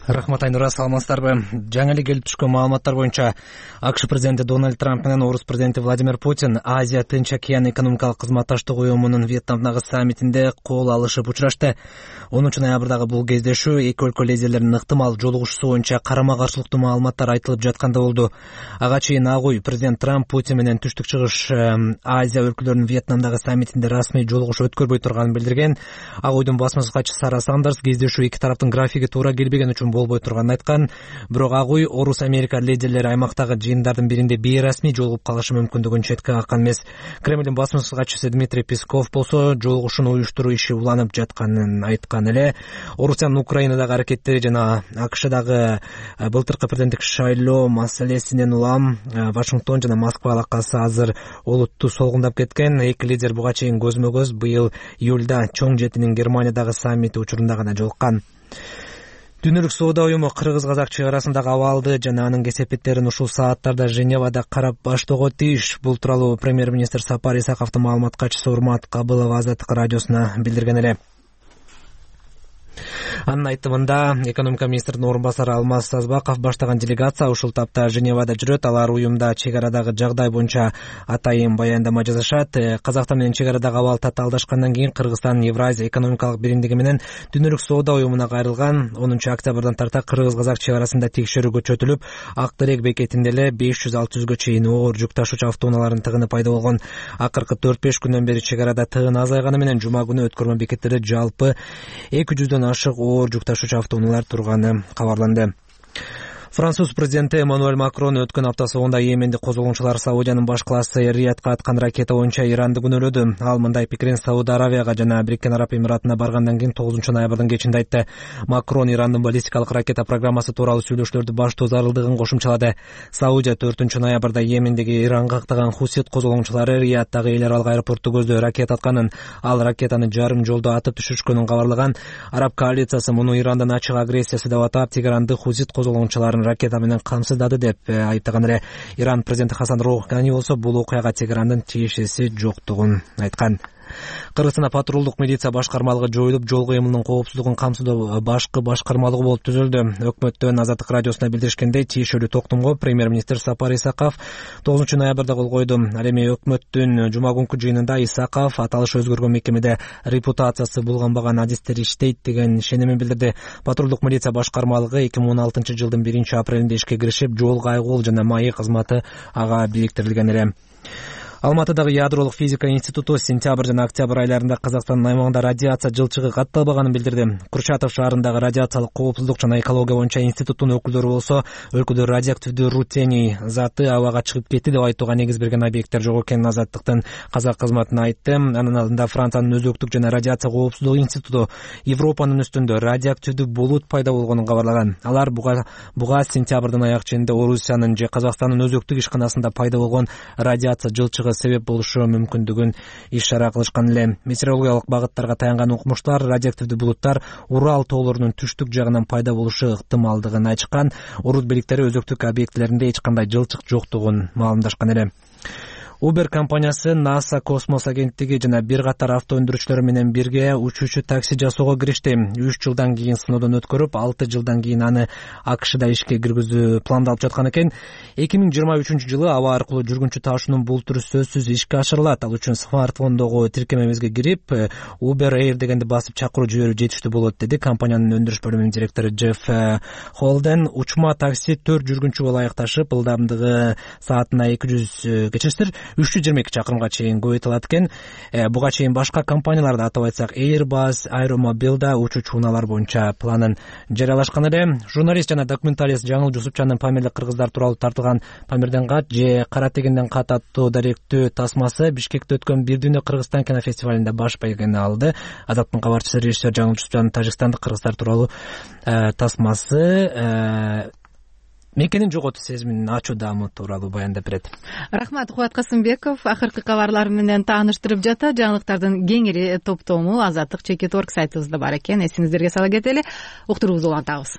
Рахмат Айнура, саламатсыздарбы? Жаңы эле келип түшкөн маалыматтар боюнча АКШ президенти Дональд Трамп менен Орус президенти Владимир Путин Азия Тынч океан экономикалык кызматташтык уюмунун Вьетнамдагы саммитинде кол алышып учурашты. онунчу ноябрдагы бул кездешүү эки өлкө лидерлеринин ыктымал жолугушуусу боюнча карама-каршылыктуу маалыматтар айтылып жатканда болду. Ага чейин ак үй президент Трамп Путин менен түштүк чыгыш Азия өлкөлөрүнүн Вьетнамдагы саммитинде расмий жолугушуу өткөрбөй турганын билдирген. Ак үйдүн басма катчысы Сара Сандерс кездешүү эки тараптын графиги туура келбеген үчүн болбой турганын айткан. Бирок ак үй Орус Америка лидерлери аймактагы жыйындардын биринде бейрасмий жолугуп калышы мүмкүндүгүн четке каккан эмес. Кремлдин басма катчысы Дмитрий Песков болсо жолугушууну уюштуруу иши уланып жатканын айткан эле. Орусиянын Украинадагы аракеттери жана АКШдагы былтыркы президенттик шайлоо маселесинен улам Вашингтон жана Москва алакасы азыр олуттуу солгундап кеткен. Эки лидер буга чейин көзмө көз быйыл июлда чоң жетинин Германиядагы саммити учурунда гана жолуккан. Дүйнөлүк соода уюму кыргыз-казак чек арасындагы абалды жана анын кесепеттерин ушул сааттарда Женевада карап баштоого тийиш. Бул тууралуу премьер-министр Сапар Исаковдун маалымат катчысы Урмат Кабылова Азаттык радиосуна билдирген эле. Анын айтымында экономика министринин орун басары Алмаз Сазбаков баштаган делегация ушул тапта Женевада жүрөт. Алар уюмда чек арадагы жагдай боюнча атайын баяндама жасашат. Казакстан менен чек арадагы абал татаалдашкандан кийин Кыргызстан Евразия экономикалык биримдиги менен Дүйнөлүк соода уюмуна кайрылган. онунчу октябрдан тарта кыргыз-казак чек арасында текшерүү көчөтүлүп, Ак Терек бекетинде эле беш жүз алты жүзгө чейин оор жүк ташуучу автоунаалардын тыгыны пайда болгон. Акыркы төрт беш күндөн бери чек арада тыгын азайганы менен жума күнү өткөрмө бекеттерде жалпы эки жүздөн ашык оор жүк ташуучу автоунаалар турганы кабарланды. Француз президенти Эммануэль Макрон өткөн апта соңунда Йеменди козголгончулар Саудиянын баш калаасы Риядка аткан ракета боюнча Иранды күнөөлөдү. Ал мындай пикирин Сауд Аравияга жана Бириккен Араб Эмиратына баргандан кийин тогузунчу ноябрдын кечинде айтты. Макрон Ирандын баллистикалык ракета программасы тууралуу сүйлөшүүлөрдү баштоо зарылдыгын кошумчалады. Саудия төртүнчү ноябрда Йемендеги Иранга кактаган Хусит козголгончулары Риядтагы эл аралык аэропорту көздөй ракета атканын, ал ракетаны жарым жолдо атып түшүрүшкөнүн кабарлаган. Араб коалициясы муну Ирандын ачык агрессиясы деп атап, Тегеранды Хусит козголгончуларын ракета менен камсыздады деп айткан эле. Иран президенти Хасан Роухани болсо бул окуяга Тегерандын тиешеси жоктугун айткан. Кыргызстанда патрулдук милиция башкармалыгы жоюлуп, жол кыймылынын коопсуздугун камсыздоо башкы башкармалыгы болуп түзүлдү. Өкмөттөн Азаттык радиосуна билдиришкендей, тиешелүү токтомго премьер-министр Сапар Исаков тогузунчу ноябрда кол койду. Ал эми өкмөттүн жума күнкү жыйынында Исаков аталыш өзгөргөн мекемеде репутациясы булганбаган адистер иштейт деген ишенимин билдирди. Патрулдук милиция башкармалыгы эки миң он алтынчы жылдын биринчи апрелинде ишке киришип, жол кайгуул жана маек кызматы ага бириктирилген эле. Алматыдагы ядролук физика институту сентябрь жана октябрь айларында Казакстандын аймагында радиация жылчыгы катталбаганын билдирди. Курчатов шаарындагы радиациялык коопсуздук жана экология боюнча институттун өкүлдөрү болсо өлкөдө радиоактивдүү рутений заты абага чыгып кетти деп айтууга негиз берген объекттер жок экенин Азаттыктын казак кызматына айтты. Анын алдында Франциянын өзөктүк жана радиация коопсуздугу институту Европанын үстүндө радиоактивдүү булут пайда болгонун кабарлаган. Алар буга буга сентябрдын аяк ченинде Орусиянын же Казакстандын өзөктүк ишканасында пайда болгон радиация жылчыгы себеп болушу мүмкүндүгүн иш-чара кылышкан эле. Метеорологиялык багыттарга таянган укмуштар радиоактивдүү булуттар Урал тоолорунун түштүк жагынан пайда болушу ыктымалдыгын айтышкан. Орус бийликтери өзөктүк объектилеринде эч кандай жылчык жоктугун маалымдашкан эле. Uber компаниясы НАСА космос агенттиги жана бир катар авто өндүрүүчүлөр менен бирге учуучу такси жасоого киришти. үч жылдан кийин сыноодон өткөрүп, алты жылдан кийин аны АКШда ишке киргизүү пландалып жаткан экен. эки миң жыйырма үчүнчү жылы аба аркылуу жүргүнчү ташуунун бул түрү сөзсүз ишке ашырылат. Ал үчүн смартфондогу тиркемебизге кирип, Uber Air дегенди басып чакыруу жиберип жетиштүү болот, деди компаниянын өндүрүш бөлүмүнүн директору Джефф Холден. Учма такси төрт жүргүнчүгө ылайыкташып, ылдамдыгы саатына эки жүз кечирсиздер үч жүз жыйырма эки чакырымга чейин көбөйтүлат экен. Буга чейин башка компанияларда, атап айтсак Airbus, Aeromobile учуучу унаалар боюнча планын жарыялашкан эле. Журналист жана документалист Жаңыл Жусупчандын Памирлик кыргыздар тууралуу тартылган Памирден кат же Кара тегенден кат аттуу даректүү тасмасы Бишкекте өткөн Бир дүйнө Кыргызстан кинофестивалында баш байгени алды. Азаттын кабарчысы режиссер Жаңыл Жусупчандын Тажикстандык кыргыздар тууралуу тасмасы мекенин жоготуу сезимин ачуу даамы тууралуу баяндап берет. Рахмат, Кубат Касымбеков акыркы кабарлар менен тааныштырып жата. Жаңылыктардын кеңири топтому Азаттык чекит орг сайтыбызда бар экен. Эсиңиздерге сала кетели. Уктуруубузду улантабыз.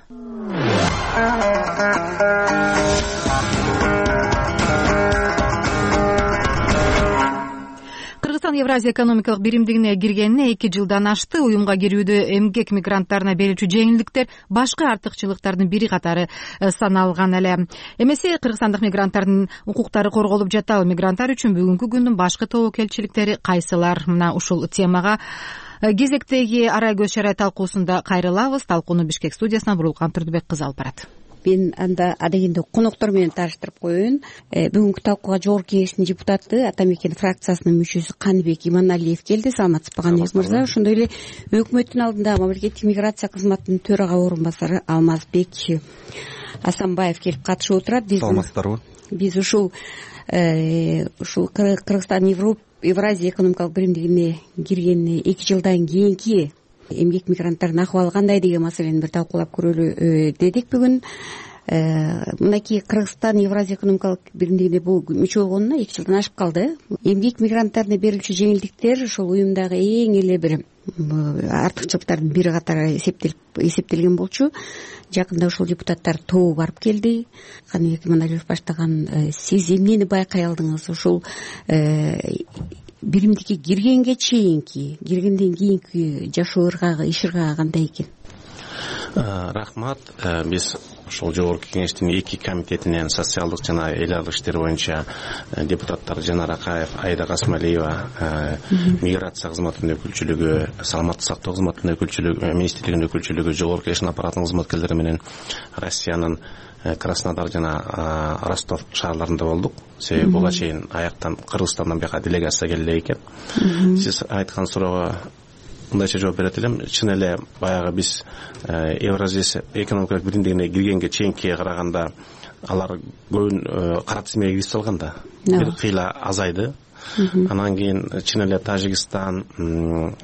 Кыргызстан Евразия экономикалык биримдигине киргенине эки жылдан ашты. Уюмга кирүүдө эмгек мигранттарына берүүчү жеңилдиктер башкы артыкчылыктардын бири катары саналган эле. Эмесе кыргызстандык мигранттардын укуктары корголуп жатабы? Мигранттар үчүн бүгүнкү күндүн башкы тобокелчиликтери кайсылар? Мына ушул темага кезектеги арай көз чарай талкуусунда кайрылабыз. Талкууну Бишкек студиясына Бурулкан Турдубек кызы алып барат. Мен анда адегенде коноктор менен тааныштырып коеюн. Бүгүнкү талкууга Жогорку Кеңештин депутаты, Ата Мекен фракциясынын мүчөсү Каныбек Иманалиев келди. Саламатсызбы Каныбек мырза? Ошондой эле өкмөттүн алдында мамлекеттик миграция кызматынын төрага орун басары Алмазбек Асанбаев келип катышып отурат. Саламатсыздарбы? Биз ушул ушул Кыргызстан Евразия экономикалык биримдигине киргенине эки жылдан кийинки эмгек мигранттардын акыбалы кандай деген маселени бир талкуулап көрөлү дедик бүгүн. Мынакей Кыргызстан Евразия экономикалык биримдигине бул мүчө болгонуна эки жылдан ашып калды. Эмгек мигранттарына берилүүчү жеңилдиктер ошол уюмдагы эң эле бир артыкчылыктардын бири катары эсептелген болчу. Жакында ушул депутаттар тобу барып келди. Каныбек Иманалиев баштаган. Сиз эмнени байкай алдыңыз ушул биримдикке киргенге чейинки, киргенден кийинки жашоо ыргагы, иш ыргагы кандай экен? Рахмат. Биз ошол Жогорку Кеңештин эки комитетинен социалдык жана эл аралык иштер боюнча депутаттар Жанар Акаев, Айда Касмалиева, миграция кызматынын өкүлчүлүгү, саламаттык сактоо кызматынын өкүлчүлүгү, министрлигинин өкүлчүлүгү, Жогорку Кеңештин аппаратынын кызматкерлери менен Россиянын Краснодар жана Ростов шаарларында болдук. Себеби буга чейин аяктан Кыргызстандан бияка делегация келе экен. Сиз айткан суроого мындайча жооп берет элем. Чын эле баягы биз Евразия экономикалык биримдигине киргенге чейинкиге караганда алар көбүн кара тизмеге кирип салган да. Бир кыйла азайды. Анан кийин чын эле Тажикстан,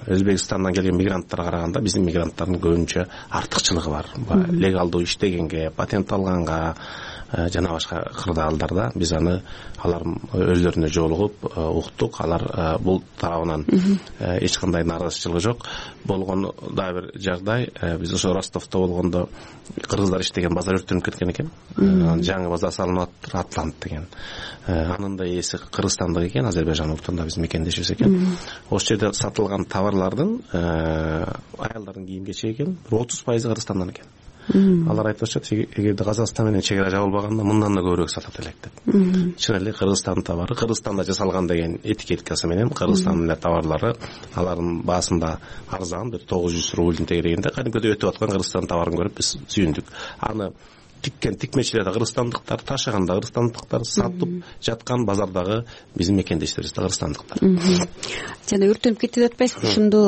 Өзбекстандан келген мигранттарга караганда биздин мигранттардын көбүнчө артыкчылыгы бар. Легалдуу иштегенге, патент алганга жана башка кырдаалдарда биз аны алар өздөрүнө жолугуп уктук. Алар бул тарабынан эч кандай нааразычылыгы жок. Болгон дагы бир жагдай, биз ошо Ростовдо болгондо кыргыздар иштеген базар өрттөнүп кеткен экен. Жаңы базар салынып атыр, Атлант деген. Анын да ээси Кыргызстандык экен, Азербайжан улутунда биз мекендешибиз экен. Ошол жерде сатылган товарлардын аялдардын кийим кечеги экен, отуз пайызы Кыргызстандан экен. Алар айтып атышат, эгерде Казакстан менен чек ара жабылбаганда мындан да көбүрөөк сатат элек деп. Чын эле Кыргызстандын товары Кыргызстанда жасалган деген этикеткасы менен Кыргызстандын товарлары алардын баасында арзан, бир тогуз жүз рубльдин тегерегинде кадимкидей өтүп аткан Кыргызстан товарын көрүп биз сүйүндүк. Аны тиккен тикмечилер да кыргызстандыктар, ташыган да кыргызстандыктар, сатып жаткан базардагы биздин мекендештерибиз да кыргызстандыктар. Жана өртөнүп кетти деп атпайсызбы, ошондо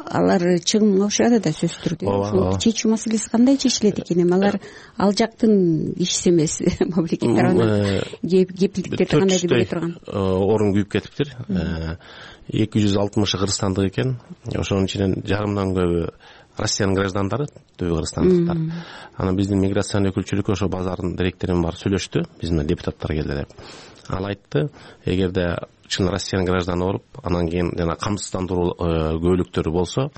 алар чыгымга учурады да сөзсүз түрдө. Ошол чечүү маселеси кандай чечилет экен? Эми алар ал жактын кишиси эмес, мамлекет тарабынан кепилдиктерди кандай деп бере турган? Орун күйүп кетиптир. эки жүз алтымышы кыргызстандык экен. Ошонун ичинен жарымдан көбү Россиянын граждандары, түбү кыргызстандыктар. Анан биздин миграция өкүлчүлүккө ошо базардын директору бар сүйлөштү, биздин депутаттар келди деп. Ал айтты, эгерде чын Россиянын гражданы болуп, анан кийин жана камсыздандыруу көбөлүктөрү болсо,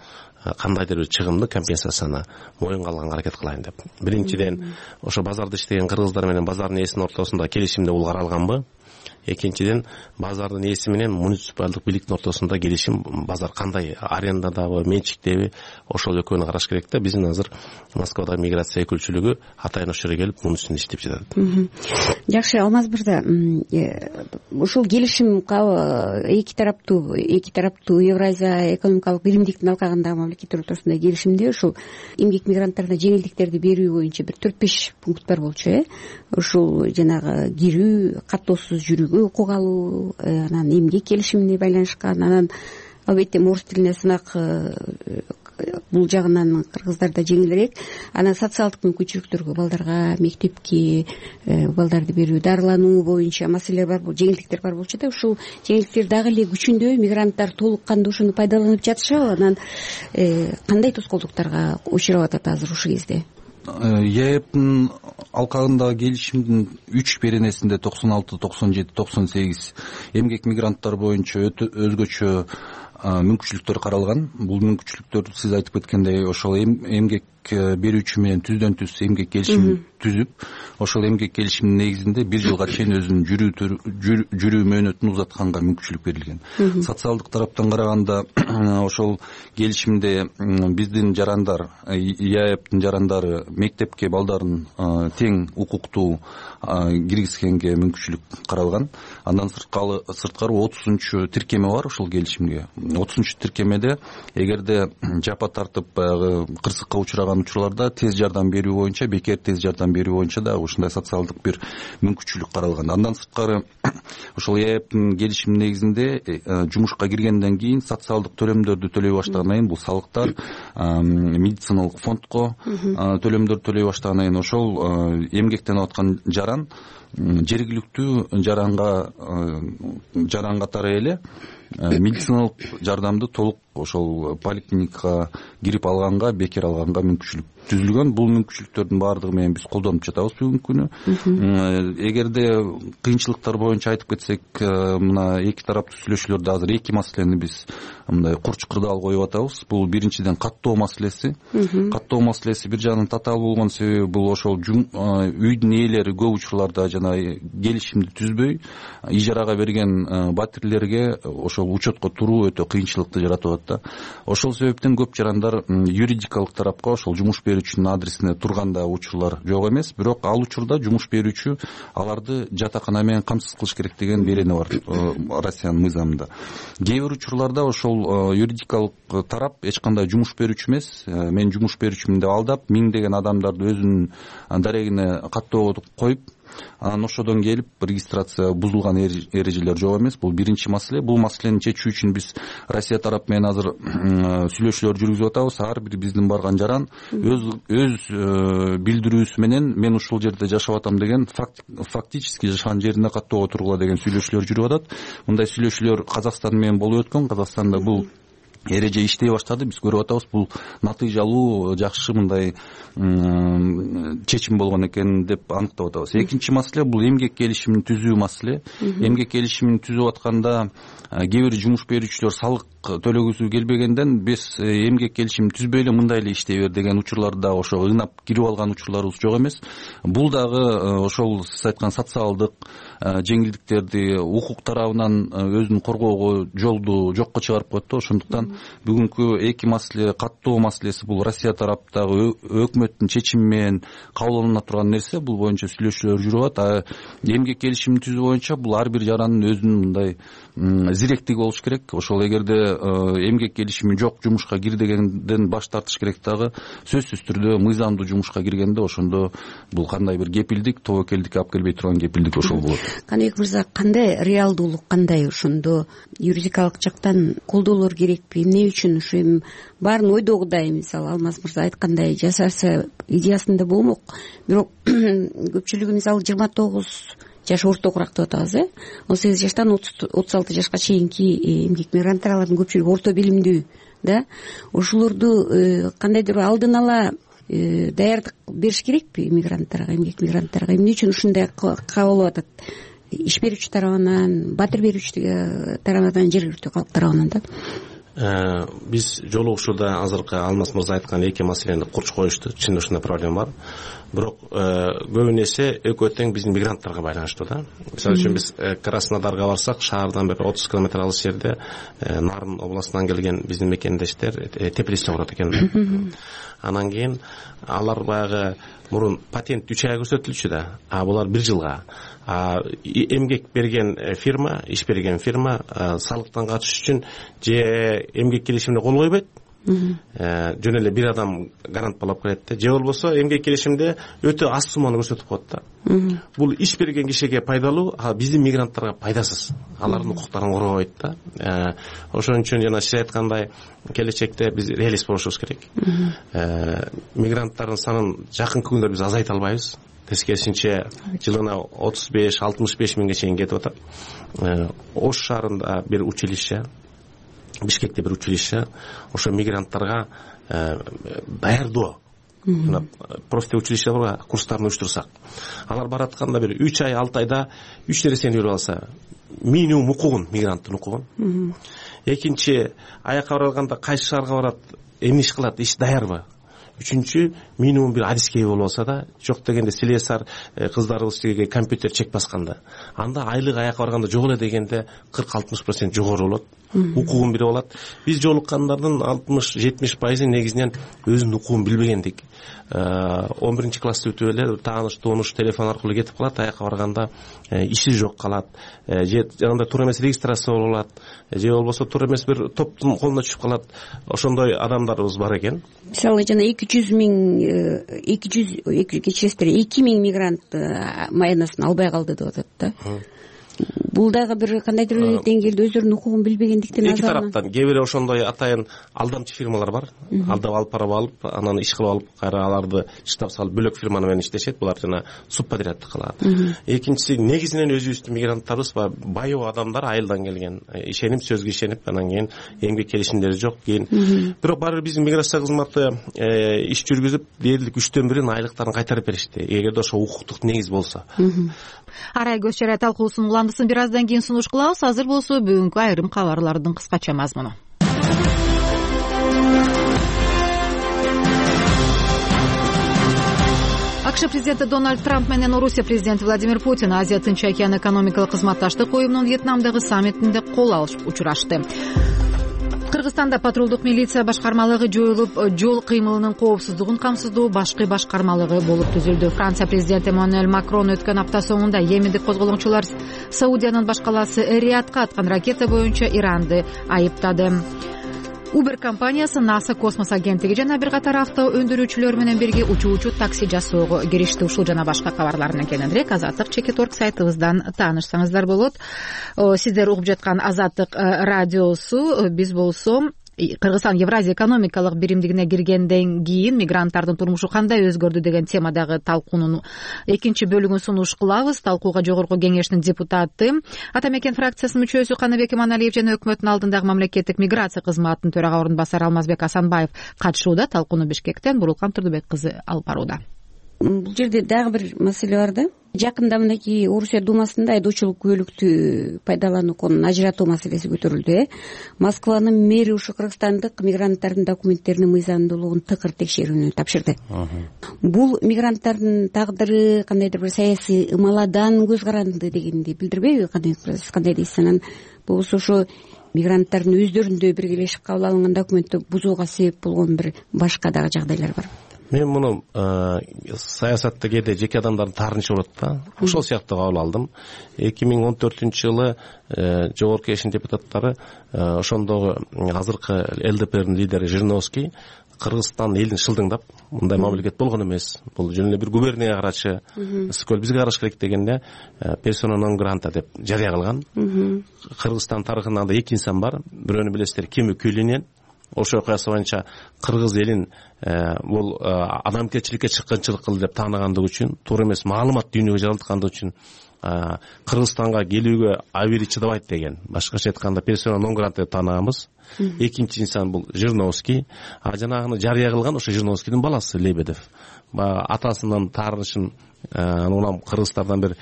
кандайдыр бир чыгымды, компенсацияны моюнга алганга аракет кылайын деп. Биринчиден, ошо базарда иштеген кыргыздар менен базардын ээсинин ортосунда келишимде бул каралганбы? Экинчиден, базардын ээси менен муниципалдык бийликтин ортосунда келишим, базар кандай, арендадабы, менчиктеби, ошол экөөнү караш керек да. Биздин азыр Москвада миграция өкүлчүлүгү атайын ошол жерге келип, мунун үстүндө иштеп жатат. Жакшы, Алмаз мырза, ушул келишим эки тараптуу, эки тараптуу Евразия экономикалык биримдиктин алкагындагы мамлекеттер ортосунда келишимде ушул эмгек мигранттарына жеңилдиктерди берүү боюнча бир төрт беш пункт бар болчу, э? Ушул жанагы кирүү, каттоосуз жүрүүгө укук алуу, анан эмгек келишимине байланышкан, анан албетте орус тилине сынак бул жагынан кыргыздарда жеңилирээк. Анан социалдык мүмкүнчүлүктөргө, балдарга мектепке балдарды берүү, дарылануу боюнча маселелер бар, жеңилдиктер бар болчу да. Ушул жеңилдиктер дагы эле күчүндө, мигранттар толук кандуу ошону пайдаланып жатышабы? Анан кандай тоскоолдуктарга учурап атат азыр ушул кезде? ЕЭПтин алкагындагы келишимдин үч беренесинде токсон алты, токсон жети, токсон сегиз эмгек мигранттар боюнча өзгөчө мүмкүнчүлүктөр каралган. Бул мүмкүнчүлүктөр сиз айтып кеткендей ошол эмгек берүүчү менен түздөн түз эмгек келишимин түзүп, ошол эмгек келишимдин негизинде бир жылга чейин өзүнүн жүрүү мөөнөтүн узатканга мүмкүнчүлүк берилген. Социалдык тараптан караганда ошол келишимде биздин жарандар, ЕАЭПтин жарандары мектепке балдарын тең укуктуу киргизгенге мүмкүнчүлүк каралган. Андан сырткары отузунчу тиркеме бар ошол келишимге. отузунчу тиркемеде эгерде жапа тартып баягы кырсыкка учураган учурларда тез жардам берүү боюнча, бекер тез жардам берүү боюнча да ушундай социалдык бир мүмкүнчүлүк каралган. Андан сырткары ошол ЕАЭПтин келишим негизинде жумушка киргенден кийин социалдык төлөмдөрдү төлөй баштагандан кийин, бул салыктар, медициналык фондко төлөмдөрдү төлөй баштагандан кийин ошол эмгектенип аткан жаран жергиликтүү жаранга жаран катары эле медициналык жардамды толук ошол поликлиникага кирип алганга, бекер алганга мүмкүнчүлүк түзүлгөн. Бул мүмкүнчүлүктөрдүн баардыгы менен биз колдонуп жатабыз бүгүнкү күнү. Эгерде кыйынчылыктар боюнча айтып кетсек, мына эки тараптуу сүйлөшүүлөрдө азыр эки маселени биз мындай курч кырдаал коюп атабыз. Бул биринчиден каттоо маселеси. Каттоо маселеси бир жагынан татаал болгон себеби бул ошол үйдүн ээлери көп учурларда жана келишимди түзбөй ижарага берген батирлерге ошол учетко туруу өтө кыйынчылыкты жаратып атат да. Ошол себептен көп жарандар юридикалык тарапка ошол жумуш берүүчүнүн адресине турганда учурлар жок эмес, бирок ал учурда жумуш берүүчү аларды жатакана менен камсыз кылыш керек деген берене бар Россиянын мыйзамында. Кээ бир учурларда ошол юридикалык тарап эч кандай жумуш берүүчү эмес, мен жумуш берүүчүмүн деп алдап, миңдеген адамдарды өзүнүн дарегине каттоого коюп, анан ошодон келип регистрация бузулган эрежелер жок эмес. Бул биринчи маселе. Бул маселени чечүү үчүн биз Россия тарап менен азыр сүйлөшүүлөр жүргүзүп атабыз. Ар бир биздин барган жаран өз өз билдирүүсү менен мен ушул жерде жашап атам деген фактически жашаган жерине каттоого тургула деген сүйлөшүүлөр жүрүп атат. Мындай сүйлөшүүлөр Казакстан менен болуп өткөн. Казакстанда бул эреже иштей баштады. Биз көрүп атабыз, бул натыйжалуу, жакшы мындай чечим болгон экен деп аныктап атабыз. Экинчи маселе бул эмгек келишимин түзүү маселе. Эмгек келишимин түзүп атканда кээ бир жумуш берүүчүлөр салык төлөгүсү келбегенден биз эмгек келишимин түзбөй эле мындай эле иштей бер деген учурларда ошо ынап кирип алган учурларыбыз жок эмес. Бул дагы ошол сиз айткан социалдык жеңилдиктерди укук тарабынан өзүн коргоого жолду жокко чыгарып коет да. Ошондуктан бүгүнкү эки маселе, каттоо маселеси бул Россия тараптагы өкмөттүн чечими менен кабыл турган нерсе. Бул боюнча сүйлөшүүлөр жүрүп атат. Эмгек келишимин түзүү боюнча бул ар бир жарандын өзүнүн мындай зиректиги болуш керек. Ошол эгерде эмгек келишими жок жумушка кир дегенден баш тартыш керек дагы. Сөзсүз түрдө мыйзамдуу жумушка киргенде ошондо бул кандай бир кепилдик, тобокелдикке алып келбей турган кепилдик ошол болот. Каныбек мырза, кандай реалдуулук, кандай ошондо юридикалык жактан колдоолор керекпи? Эмне үчүн ушу эми баарын ойдогудай, мисалы Алмаз мырза айткандай жасарса идеясында болмок, бирок көпчүлүгү мисалы жыйырма тогуз жаш ортогураак деп атабыз, э он сегиз жаштан отуз алты жашка чейинки эмгек мигранттардын көпчүлүгү орто билимдүү да. Ошолорду кандайдыр алдын ала даярдык бериш керекпи мигранттарга, эмгек мигранттарга? Эмне үчүн ушундай кабыл алып атат? Иш берүүчү тарабынан, батир берүүчү тарабынан, жергиликтүү калк тарабынан да. Биз жолугушууда азыркы Алмаз мырза айткан эки маселени курч коюшту. Чын ушундай проблема бар. Бирок көбүн эсе экөө тең биздин мигранттарга байланыштуу да. Мисалы үчүн биз Краснодарга барсак, шаардан бир отуз километр алыс жерде Нарын областынан келген биздин мекендештер Тепелисте турат экен. Анан кийин алар баягы мурун патент үч ай көрсөтүлчү да, а булар бир жылга. Эмгек берген фирма, иш берген фирма салыктан качыш үчүн же эмгек келишимине кол койбойт, жөн эле бир адам гарант болуп келет да, же болбосо эмгек келишимде өтө аз сумманы көрсөтүп коет да. Бул иш берген кишиге пайдалуу, а биздин мигранттарга пайдасыз. Алардын укуктарын коргобойт да. Ошон үчүн жана сиз айткандай келечекте биз реалист болушубуз керек. Мигранттардын санын жакынкы күндөрдө биз азайта албайбыз. Тескерисинче жылына отуз беш алтымыш беш миңге чейин кетип атат. Ош шаарында бир училище, Бишкекте бир училище, ошо мигранттарга даярдоо, профи училище бар, курстарын уюштурсак, алар баратканда бир үч ай, алты айда үч нерсени үйрөнүп алса, минимум укугун, мигранттын укугун. Экинчи, аякка барганда кайсы шаарга барат, эмне иш кылат, иш даярбы? Үчүнчү, минимум бир адискей болуп алса да, жок дегенде слесарь кыздарыбыз тиги компьютер чек басканда, анда айлык аякка барганда жок эле дегенде кырк алтымыш процент жогору болот. Укугун билип алат. Биз жолуккандардын алтымыш жетимиш пайызы негизинен өзүнүн укугун билбегендик. он биринчи класста бүтүп эле тааныш тонуш телефон аркылуу кетип калат, аякка барганда иши жок калат. Же анда туура эмес регистрация болуп алат, же болбосо туура эмес бир топтун колуна түшүп калат. Ошондой адамдарыбыз бар экен. Мисалы жана эки жүз миң эки жүз кечиресиздер, эки миң мигрант майнасын албай калды деп атат да. Бул дагы бир кандайдыр бир деңгээлде өздөрүнүн укугун билбегендиктен эки тараптан кээ бир ошондой атайын алдамчы фирмалар бар. Алдап алып барып алып, анан иш кылып алып, кайра аларды штаб салып бөлөк фирманы менен иштешет. Булар жана субподрядты кылат. Экинчиси, негизинен өзүбүздүн мигранттарыбыз байоо адамдар, айылдан келген, ишенип, сөзгө ишенип, анан кийин эмгек келишимдери жок, кийин бирок баары биздин миграция кызматы иш жүргүзүп, дээрлик үчтөн бирин айлыктарын кайтарып беришти, эгерде ошо укуктук негиз болсо. Арай көз чарай талкуусунун уландысын бир аздан кийин сунуш кылабыз. Азыр болсо бүгүнкү айрым кабарлардын кыскача мазмуну. АКШ президенти Дональд Трамп менен Орусия президенти Владимир Путин Азия Тынч океан экономикалык кызматташтык уюмунун Вьетнамдагы саммитинде кол алышып учурашты. Кыргызстанда патрулдук милиция башкармалыгы жоюлуп, жол кыймылынын коопсуздугун камсыздоо башкы башкармалыгы болуп түзүлдү. Франция президенти Эммануэль Макрон өткөн апта соңунда Йемендик козголоңчулар Саудиянын башкаласы Риядка аткан ракета боюнча Иранды айыптады. Uber компаниясы NASA космос агенттиги жана бир катар авто өндүрүүчүлөр менен бирге учуучу такси жасоого киришти. Ушул жана башка кабарларынан кененирээк Азаттык чекит точка орг сайтыбыздан таанышсаңыздар болот. Сиздер угуп жаткан Азаттык радиосу. Биз болсо Кыргызстан Евразия экономикалык биримдигине киргенден кийин мигранттардын турмушу кандай өзгөрдү деген темадагы талкуунун экинчи бөлүгүн сунуш кылабыз. Талкууга Жогорку Кеңештин депутаты, Ата Мекен фракциясынын мүчөсү Каныбек Иманалиев жана өкмөттүн алдындагы мамлекеттик миграция кызматынын төрага орун басары Алмазбек Асанбаев катышууда. Талкууну Бишкектен Бурулкан Турдубек кызы алып барууда. Бул жерде дагы бир маселе бар да. Жакында мынакей Орусия думасында айдоочулук күбөлүктү пайдалануу конун ажыратуу маселеси көтөрүлдү. э Москванын мэри ушу кыргызстандык мигранттардын документтеринин мыйзамдуулугун тыкыр текшерүүнү тапшырды. Бул мигранттардын тагдыры кандайдыр бир саясий ымаладан көз каранды дегенди билдирбейби? Сиз кандай дейсиз? Анан болбосо ошо мигранттардын өздөрүндө биргелешип кабыл алынган документти бузууга себеп болгон бир башка дагы жагдайлар бар. мен муну саясатта кээде жеке адамдардын таарынычы болот да, ошол сыяктуу кабыл алдым. эки миң он төртүнчү жылы жогорку кеңештин депутаттары ошондогу азыркы эл дэ пэ эрдин лидери Жириновский Кыргызстан элин шылдыңдап, мындай мамлекет болгон эмес, бул жөн эле бир губернияга карачы, ысык көл бизге караш керек дегенде персона нон грата деп жарыя кылган. Кыргызстан тарыхында да эки инсан бар, бирөөнү билесиздер, Кемү Күйлүнен. Ошол окуясы боюнча кыргыз элин бул адамгерчиликке чыккынчылык кылды деп тааныгандыгы үчүн, туура эмес маалымат дүйнөгө жараткандыгы үчүн Кыргызстанга келүүгө абийири чыдабайт деген, башкача айтканда персона нон грата деп тааныганбыз. Экинчи инсан бул Жириновский, а жанагыны жарыя кылган ошо Жириновскийдин баласы Лебедев. Атасынын таарынычын анан кыргыздардан бир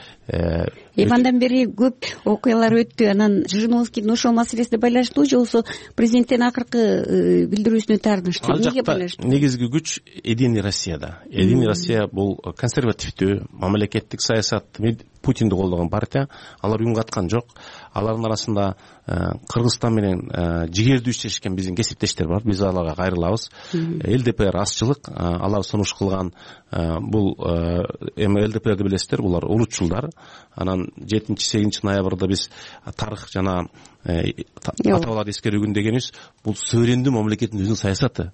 эми андан бери көп окуялар өттү. Анан Жириновскийдин ошол маселесине байланыштуу же болбосо президенттин акыркы билдирүүсүнө таарыныштуу? Эмнеге байланыштуу? Негизги күч Единый Россияда. Единый Россия бул консервативдүү мамлекеттик саясат, Путинди колдогон партия. Алар үн каткан жок. Алардын арасында Кыргызстан менен жигердүү иштешкен биздин кесиптештер бар. Биз аларга кайрылабыз. эл дэ пэ эр азчылык, алар сунуш кылган бул эми эл дэ пэ эрди билесиздер, булар улутчулдар. Анан жетинчи сегизинчи ноябрда биз тарых жана аталарды эскерүү күнү дегенибиз, бул суверендүү мамлекеттин өзүнүн саясаты.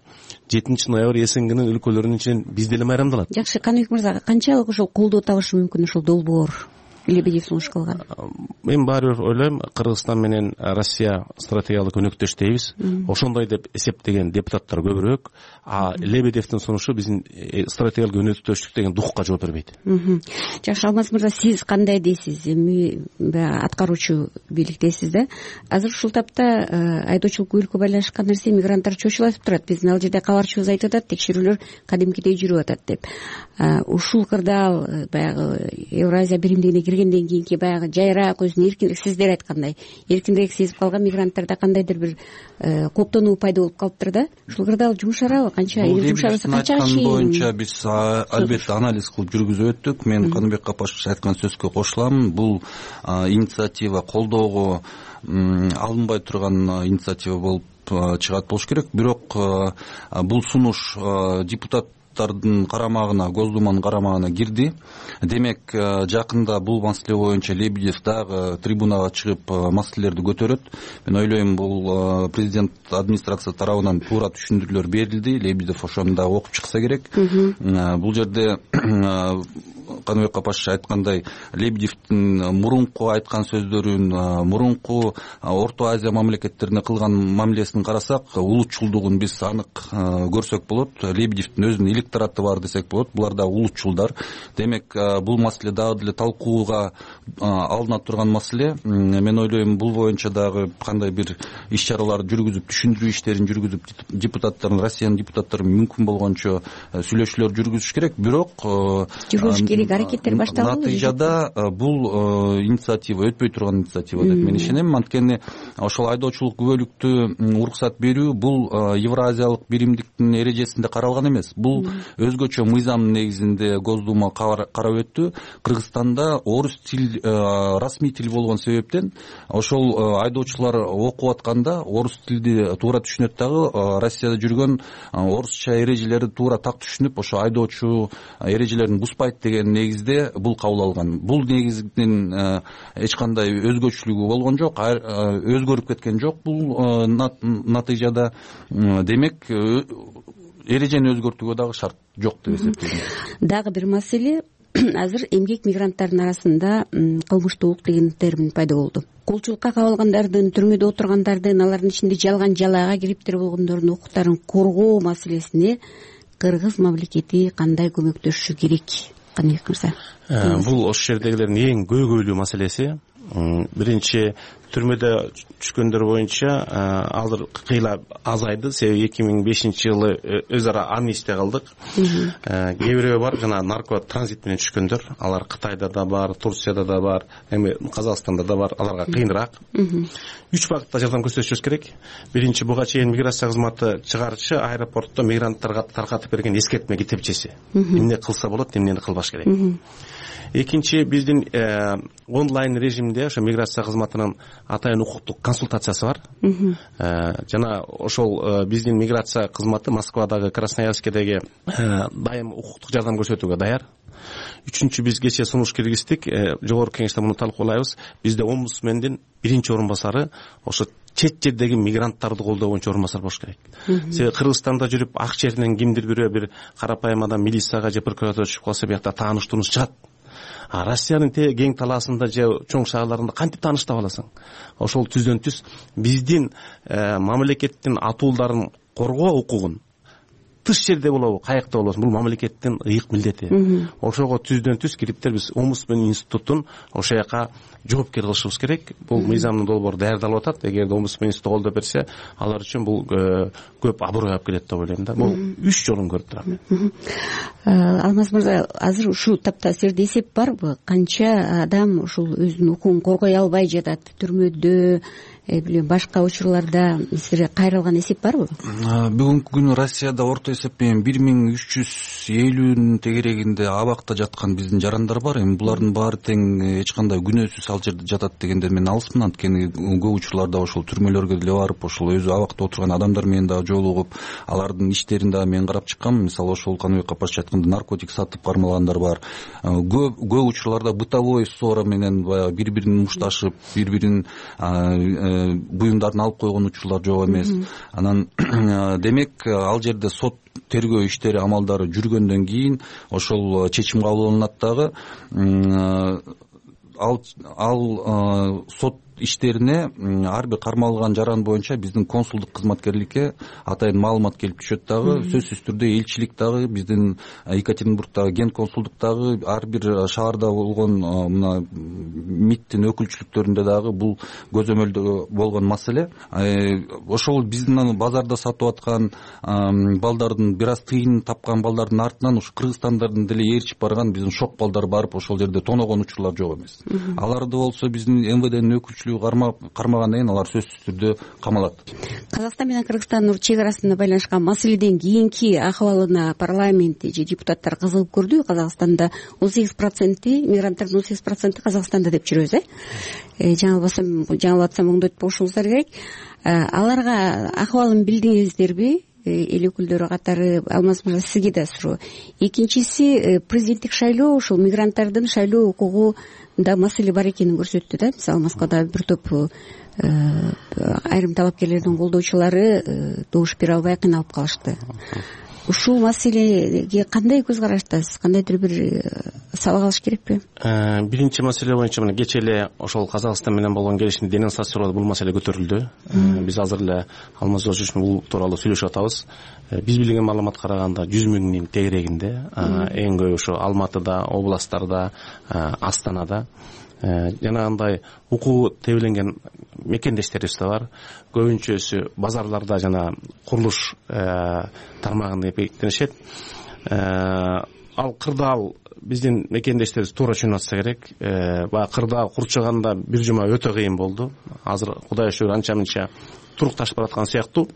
жетинчи ноябрь СНГнын өлкөлөрүнүн ичинен биз деле майрамдалат. Жакшы, Каныбек мырза, канчалык ошол колдоо табышы мүмкүн ошол долбоор? Лебедев сунуш кылган. Мен баары бир ойлойм, Кыргызстан менен Россия стратегиялык өнөктөш дейбиз. Ошондой деп эсептеген депутаттар көбүрөөк, а Лебедевдин сунушу биздин стратегиялык өнөктөштүк деген духка жооп бербейт. Жакшы, Алмаз мырза, сиз кандай дейсиз? Эми аткаруучу бийликтесиз да. Азыр ушул тапта айдоочулук көбүлүккө байланышкан нерсе, мигранттар чочулатып турат. Биздин ал жерде кабарчыбыз айтып атат, текшерүүлөр кадимкидей жүрүп атат деп. Ушул кырдаал баягы Евразия биримдигине киргенден кийинки баягы жайраак, өзүнүн эркиндик, сиздер айткандай эркиндирээк сезип калган мигранттарда кандайдыр бир коптонуу пайда болуп калыптыр да. Ушул кырдаал жумшарабы? Канча жумшарса канча чейин? Боюнча биз албетте анализ кылып жүргүзүп өттүк. Мен Каныбек Капашевич айткан сөзгө кошулам. Бул инициатива колдоого алынбай турган инициатива болуп чыгат болуш керек. Бирок бул сунуш депутат карамагына, Госдуманын карамагына кирди. Демек, жакында бул маселе боюнча Лебедев дагы трибунага чыгып маселелерди көтөрөт. Мен ойлойм, бул президент администрация тарабынан туура түшүндүрүүлөр берилди. Лебедев ошону да окуп чыкса керек. Бул жерде Каныбек Капашевич айткандай, Лебедевдин мурунку айткан сөздөрүн, мурунку Орто Азия мамлекеттерине кылган мамилесин карасак, улутчулдугун биз анык көрсөк болот. Лебедевдин өзүнүн электораты бар десек болот. Булар да улутчулдар. Демек, бул маселе дагы деле талкууга алына турган маселе. Мен ойлойм, бул боюнча дагы кандай бир иш-чаралар жүргүзүп, түшүндүрүү иштерин жүргүзүп, депутаттардын, Россиянын депутаттары мүмкүн болгончо сүйлөшүүлөр жүргүзүш керек. Бирок аракеттер башталды. Натыйжада бул инициатива өтпөй турган инициатива деп мен ишенем. Анткени ошол айдоочулук күбөлүктү уруксат берүү бул Евразиялык биримдиктин эрежесинде каралган эмес. Бул өзгөчө мыйзам негизинде Госдума карап өттү. Кыргызстанда орус тил расмий тил болгон себептен ошол айдоочулар окуп атканда орус тилди туура түшүнөт дагы, Россияда жүргөн орусча эрежелерди туура так түшүнүп, ошо айдоочу эрежелерин бузбайт деген негизде бул кабыл алган. Бул негиздин эч кандай өзгөчөлүгү болгон жок, өзгөрүп кеткен жок бул натыйжада. Демек, эрежени өзгөртүүгө дагы шарт жок деп эсептейм. Дагы бир маселе, азыр эмгек мигранттардын арасында кылмыштуулук деген термин пайда болду. Колчулукка кабылгандардын, түрмөдө отургандардын, алардын ичинде жалган жалаага кириптир болгондордун укуктарын коргоо маселесине кыргыз мамлекети кандай көмөктөшүшү керек? Каныбек мырза. Бул ошол жердегилердин эң көйгөйлүү маселеси. Биринчи, түрмөдө түшкөндөр боюнча азыр кыйла азайды. Себеби эки миң бешинчи жылы өз ара амнистия кылдык. Кээ бирөө бар, жана нарко транзит менен түшкөндөр. Алар Кытайда да бар, Турцияда да бар, эми Казакстанда да бар. Аларга кыйыныраак. Үч багытта жардам көрсөтүшүбүз керек. Биринчи, буга чейин миграция кызматы чыгарчы аэропортто мигранттарга таркатып берген эскертме китепчеси. Эмне кылса болот, эмнени кылбаш керек. Экинчи, биздин онлайн режимде ошо миграция кызматынын атайын укуктук консультациясы бар. Жана ошол биздин миграция кызматы Москвадагы, Красноярскедеги дайым укуктук жардам көрсөтүүгө даяр. Үчүнчү, биз кечээ сунуш киргиздик, жогорку кеңеште муну талкуулайбыз. Бизде омбудсмендин биринчи орун басары ошо чет жердеги мигранттарды колдоо боюнча орун басар болуш керек. Себеби Кыргызстанда жүрүп ак жеринен кимдир бирөө бир карапайым адам милицияга же прокуратурага чыгып калса, биякта тааныш тунуш чыгат. А Россиянын кең талаасында же чоң шаарларында кантип тааныш таба аласың? Ошол түздөн түз биздин мамлекеттин атуулдарын коргоо укугун тыш жерде болобу, каякта болобу, бул мамлекеттин ыйык милдети. Ошого түздөн түз кириптер биз омбудсмен институтун ошо жака жоопкер кылышыбыз керек. Бул мыйзамдын долбоору даярдалып атат. Эгерде омбудсмен институту колдоп берсе, алар үчүн бул көп аброй алып келет деп ойлойм да. Бул үч жолун көрүп турам. Алмаз мырза, азыр ушул тапта силерде эсеп барбы? Канча адам ушул өзүнүн укугун коргой албай жатат, түрмөдө, башка учурларда силерге кайрылган эсеп барбы? Бүгүнкү күнү Россияда орто эсеп менен бир миң үч жүз элүүнүн тегерегинде абакта жаткан биздин жарандар бар. Эми булардын баары тең эч кандай күнөөсүз ал жерде жатат дегенден мен алысмын. Анткени көп учурларда ошол түрмөлөргө деле барып, ошол өзү абакта отурган адамдар менен дагы жолугуп, алардын иштерин дагы мен карап чыккам. Мисалы ошол Каныбек Капашевич айткандай наркотик сатып кармалгандар бар. Көп көп учурларда бытовой ссора менен баягы бири-бирин мушташып, бири-бирин буюмдарын алып койгон учурлар жок эмес. Анан демек ал жерде сот тергөө иштери амалдары жүргөндөн кийин ошол чечим кабыл алынат дагы. Ал ал сот иштерине ар бир кармалган жаран боюнча биздин консулдук кызматкерликке атайын маалымат келип түшөт дагы. Сөзсүз түрдө элчилик дагы, биздин Екатеринбургдагы ген консулдуктагы, ар бир шаарда болгон мына МИДтин өкүлчүлүктөрүндө дагы бул көзөмөлдө болгон маселе. Ошол биздин базарда сатып аткан балдардын бир аз тыйын тапкан балдардын артынан ушу кыргызстандардын деле ээрчип барган биздин шок балдар барып ошол жерде тоногон учурлар жок эмес. Аларды болсо биздин МВДнин өкүлчүлүгү кармагандан кийин алар сөзсүз түрдө камалат. Казакстан менен Кыргызстандын чек арасында байланышкан маселеден кийинки акыбалына парламент же депутаттар кызыгып көрдү. Казакстанда он сегиз проценти мигранттардын он сегиз проценти Казакстанда деп жүрөбүз, э? Жаңылбасам, жаңылып атсам оңдойтуп коюшуңуздар керек. Аларга акыбалын билдиңиздерби? Эл өкүлдөрү катары. Алмаз мырза, сизге да суроо. Экинчиси, президенттик шайлоо ушул мигранттардын шайлоо укугунда маселе бар экенин көрсөттү да. Мисалы Москвада бир топ айрым талапкерлердин колдоочулары добуш бере албай кыйналып калышты. Ушул маселеге кандай көз караштасыз? Кандайдыр бир сабак алыш керекпи? Биринчи маселе боюнча мына кечээ эле ошол Казакстан менен болгон келишимди денонсациялоодо бул маселе көтөрүлдү. Биз азыр эле Алмаз Жолчуович менен бул тууралуу сүйлөшүп атабыз. Биз билген маалыматка караганда жүз миңдин тегерегинде, эң көп ошо Алматыда, областтарда, Астанада жанагындай укугу тебеленген мекендештерибиз да бар. Көбүнчөсү базарларда жана курулуш тармагында эпектенишет. Ал кырдаал биздин мекендештерибиз туура түшүнүп атса керек. Баягы кырдаал курчаганда бир жума өтө кыйын болду. Азыр Кудайга шүгүр анча мынча турукташып бараткан сыяктуу.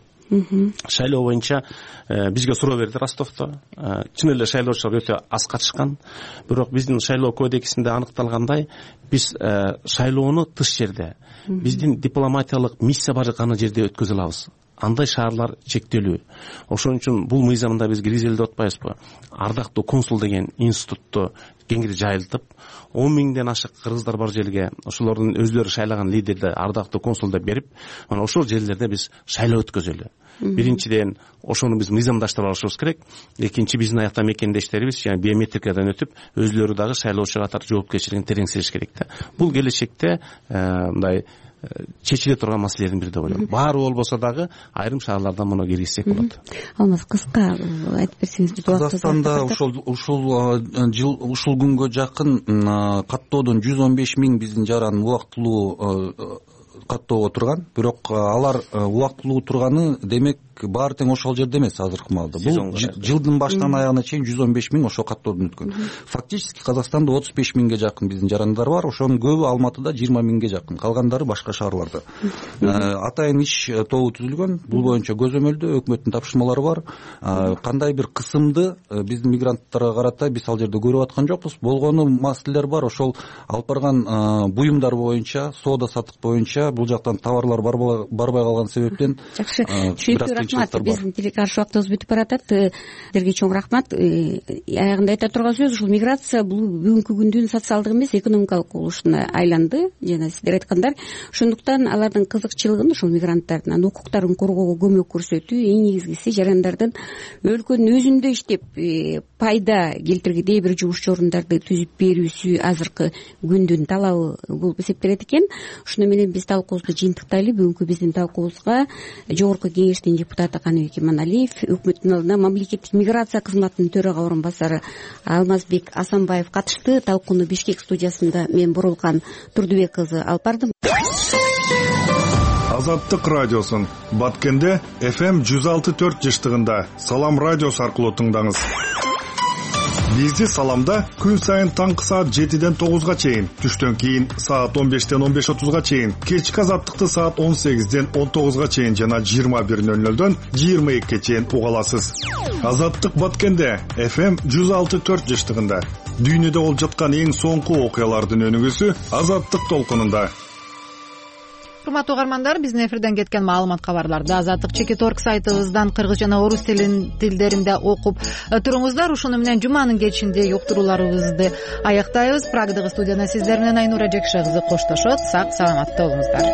Шайлоо боюнча бизге суроо берди Ростовдо. Чын эле шайлоочулар өтө аз катышкан. Бирок биздин шайлоо кодексинде аныкталгандай, биз шайлоону тыш жерде, биздин дипломатиялык миссия бар жаткан жерде өткөзө алабыз. Андай шаарлар чектелүү. Ошон үчүн бул мыйзамда биз киргизели деп атпайбызбы? Ардактуу консул деген институтту кеңири жайылтып, он миңден ашык кыргыздар бар жерге ошолордун өзлөрү шайлаган лидерди ардактуу консул деп берип, анан ошол жерлерде биз шайлоо өткөзөлү. Биринчиден ошону биз мыйзамдаштырып алышыбыз керек. Экинчи, биздин аякта мекендештерибиз жана биометрикадан өтүп, өзлөрү дагы шайлоочу катары жоопкерчилигин тереңсириш керек да. Бул келечекте мындай чечиле турган маселелердин бири деп ойлойм. Баары болбосо дагы айрым шаарлардан муну киргизсек болот. Алмаз, кыска айтып берсеңиз. Казакстанда ушул ушул жыл ушул күнгө жакын каттоодон жүз он беш миң биздин жаран убактылуу каттоого турган. Бирок алар убактылуу турганы демек баары тең ошол жерде эмес азыркы маалда. Бул жылдын башынан аягына чейин жүз он беш миң ошол каттоодон өткөн. Фактически Казакстанда отуз беш миңге жакын биздин жарандар бар. Ошонун көбү Алматыда, жыйырма миңге жакын. Калгандары башка шаарларда. Атайын иш тобу түзүлгөн. Бул боюнча көзөмөлдө өкмөттүн тапшырмалары бар. Кандай бир кысымды биздин мигранттарга карата биз ал жерде көрүп аткан жокпуз. Болгону маселелер бар. Ошол алып барган буюмдар боюнча, соода саттык боюнча бул жактан товарлар барбай калган себептен жакшы, түшүнүктүү, рахмат. Биздин телекаршы убактыбыз бүтүп баратат. Силерге чоң рахмат. Аягында айта турган сөз ушул миграция бул бүгүнкү күндүн социалдык эмес, экономикалык кубулушуна айланды. Жана сиздер айткандар, ошондуктан алардын кызыкчылыгын ушул мигранттардын укуктарын коргоого көмөк көрсөтүү, эң негизгиси жарандардын өлкөнүн өзүндө иштеп пайда келтиргидей бир жумуш орундарды түзүп берүүсү азыркы күндүн талабы болуп эсептелет экен. Ошону менен биз талкуубузду жыйынтыктайлы. Бүгүнкү биздин талкуубузга Жогорку Кеңештин депутаты Каныбек Иманалиев, өкмөттүн алдына мамлекеттик миграция кызматынын төрага орун басары Алмазбек Асанбаев катышты. Талкууну Бишкек студиясында мен Бурулкан Турдубек кызы алып бардым. Азаттык радиосун Баткенде эф эм жүз алты төрт жыштыгында Салам радиосу аркылуу тыңдаңыз. Бизди Саламда күн сайын таңкы саат жетиден тогузга чейин, түштөн кийин саат он бештен он беш отузга чейин, кечки Азаттыкты саат он сегизден он тогузга чейин жана жыйырма бир нөл нөлдөн жыйырма экиге чейин уга аласыз. Азаттык Баткенде эф эм жүз алты төрт жыштыгында дүйнөдө болуп жаткан эң соңку окуялардын өнүгүүсү Азаттык толкунунда. Урматтуу угармандар, биздин эфирден кеткен маалымат кабарларды Азаттык чекит орг сайтыбыздан кыргыз жана орус тилдеринде окуп туруңуздар. Ушуну менен жуманын кечинде уктурууларыбызды аяктайбыз. Прагдагы студияда сиздер менен Айнура Жекше кызы коштошот. Сак саламатта болуңуздар.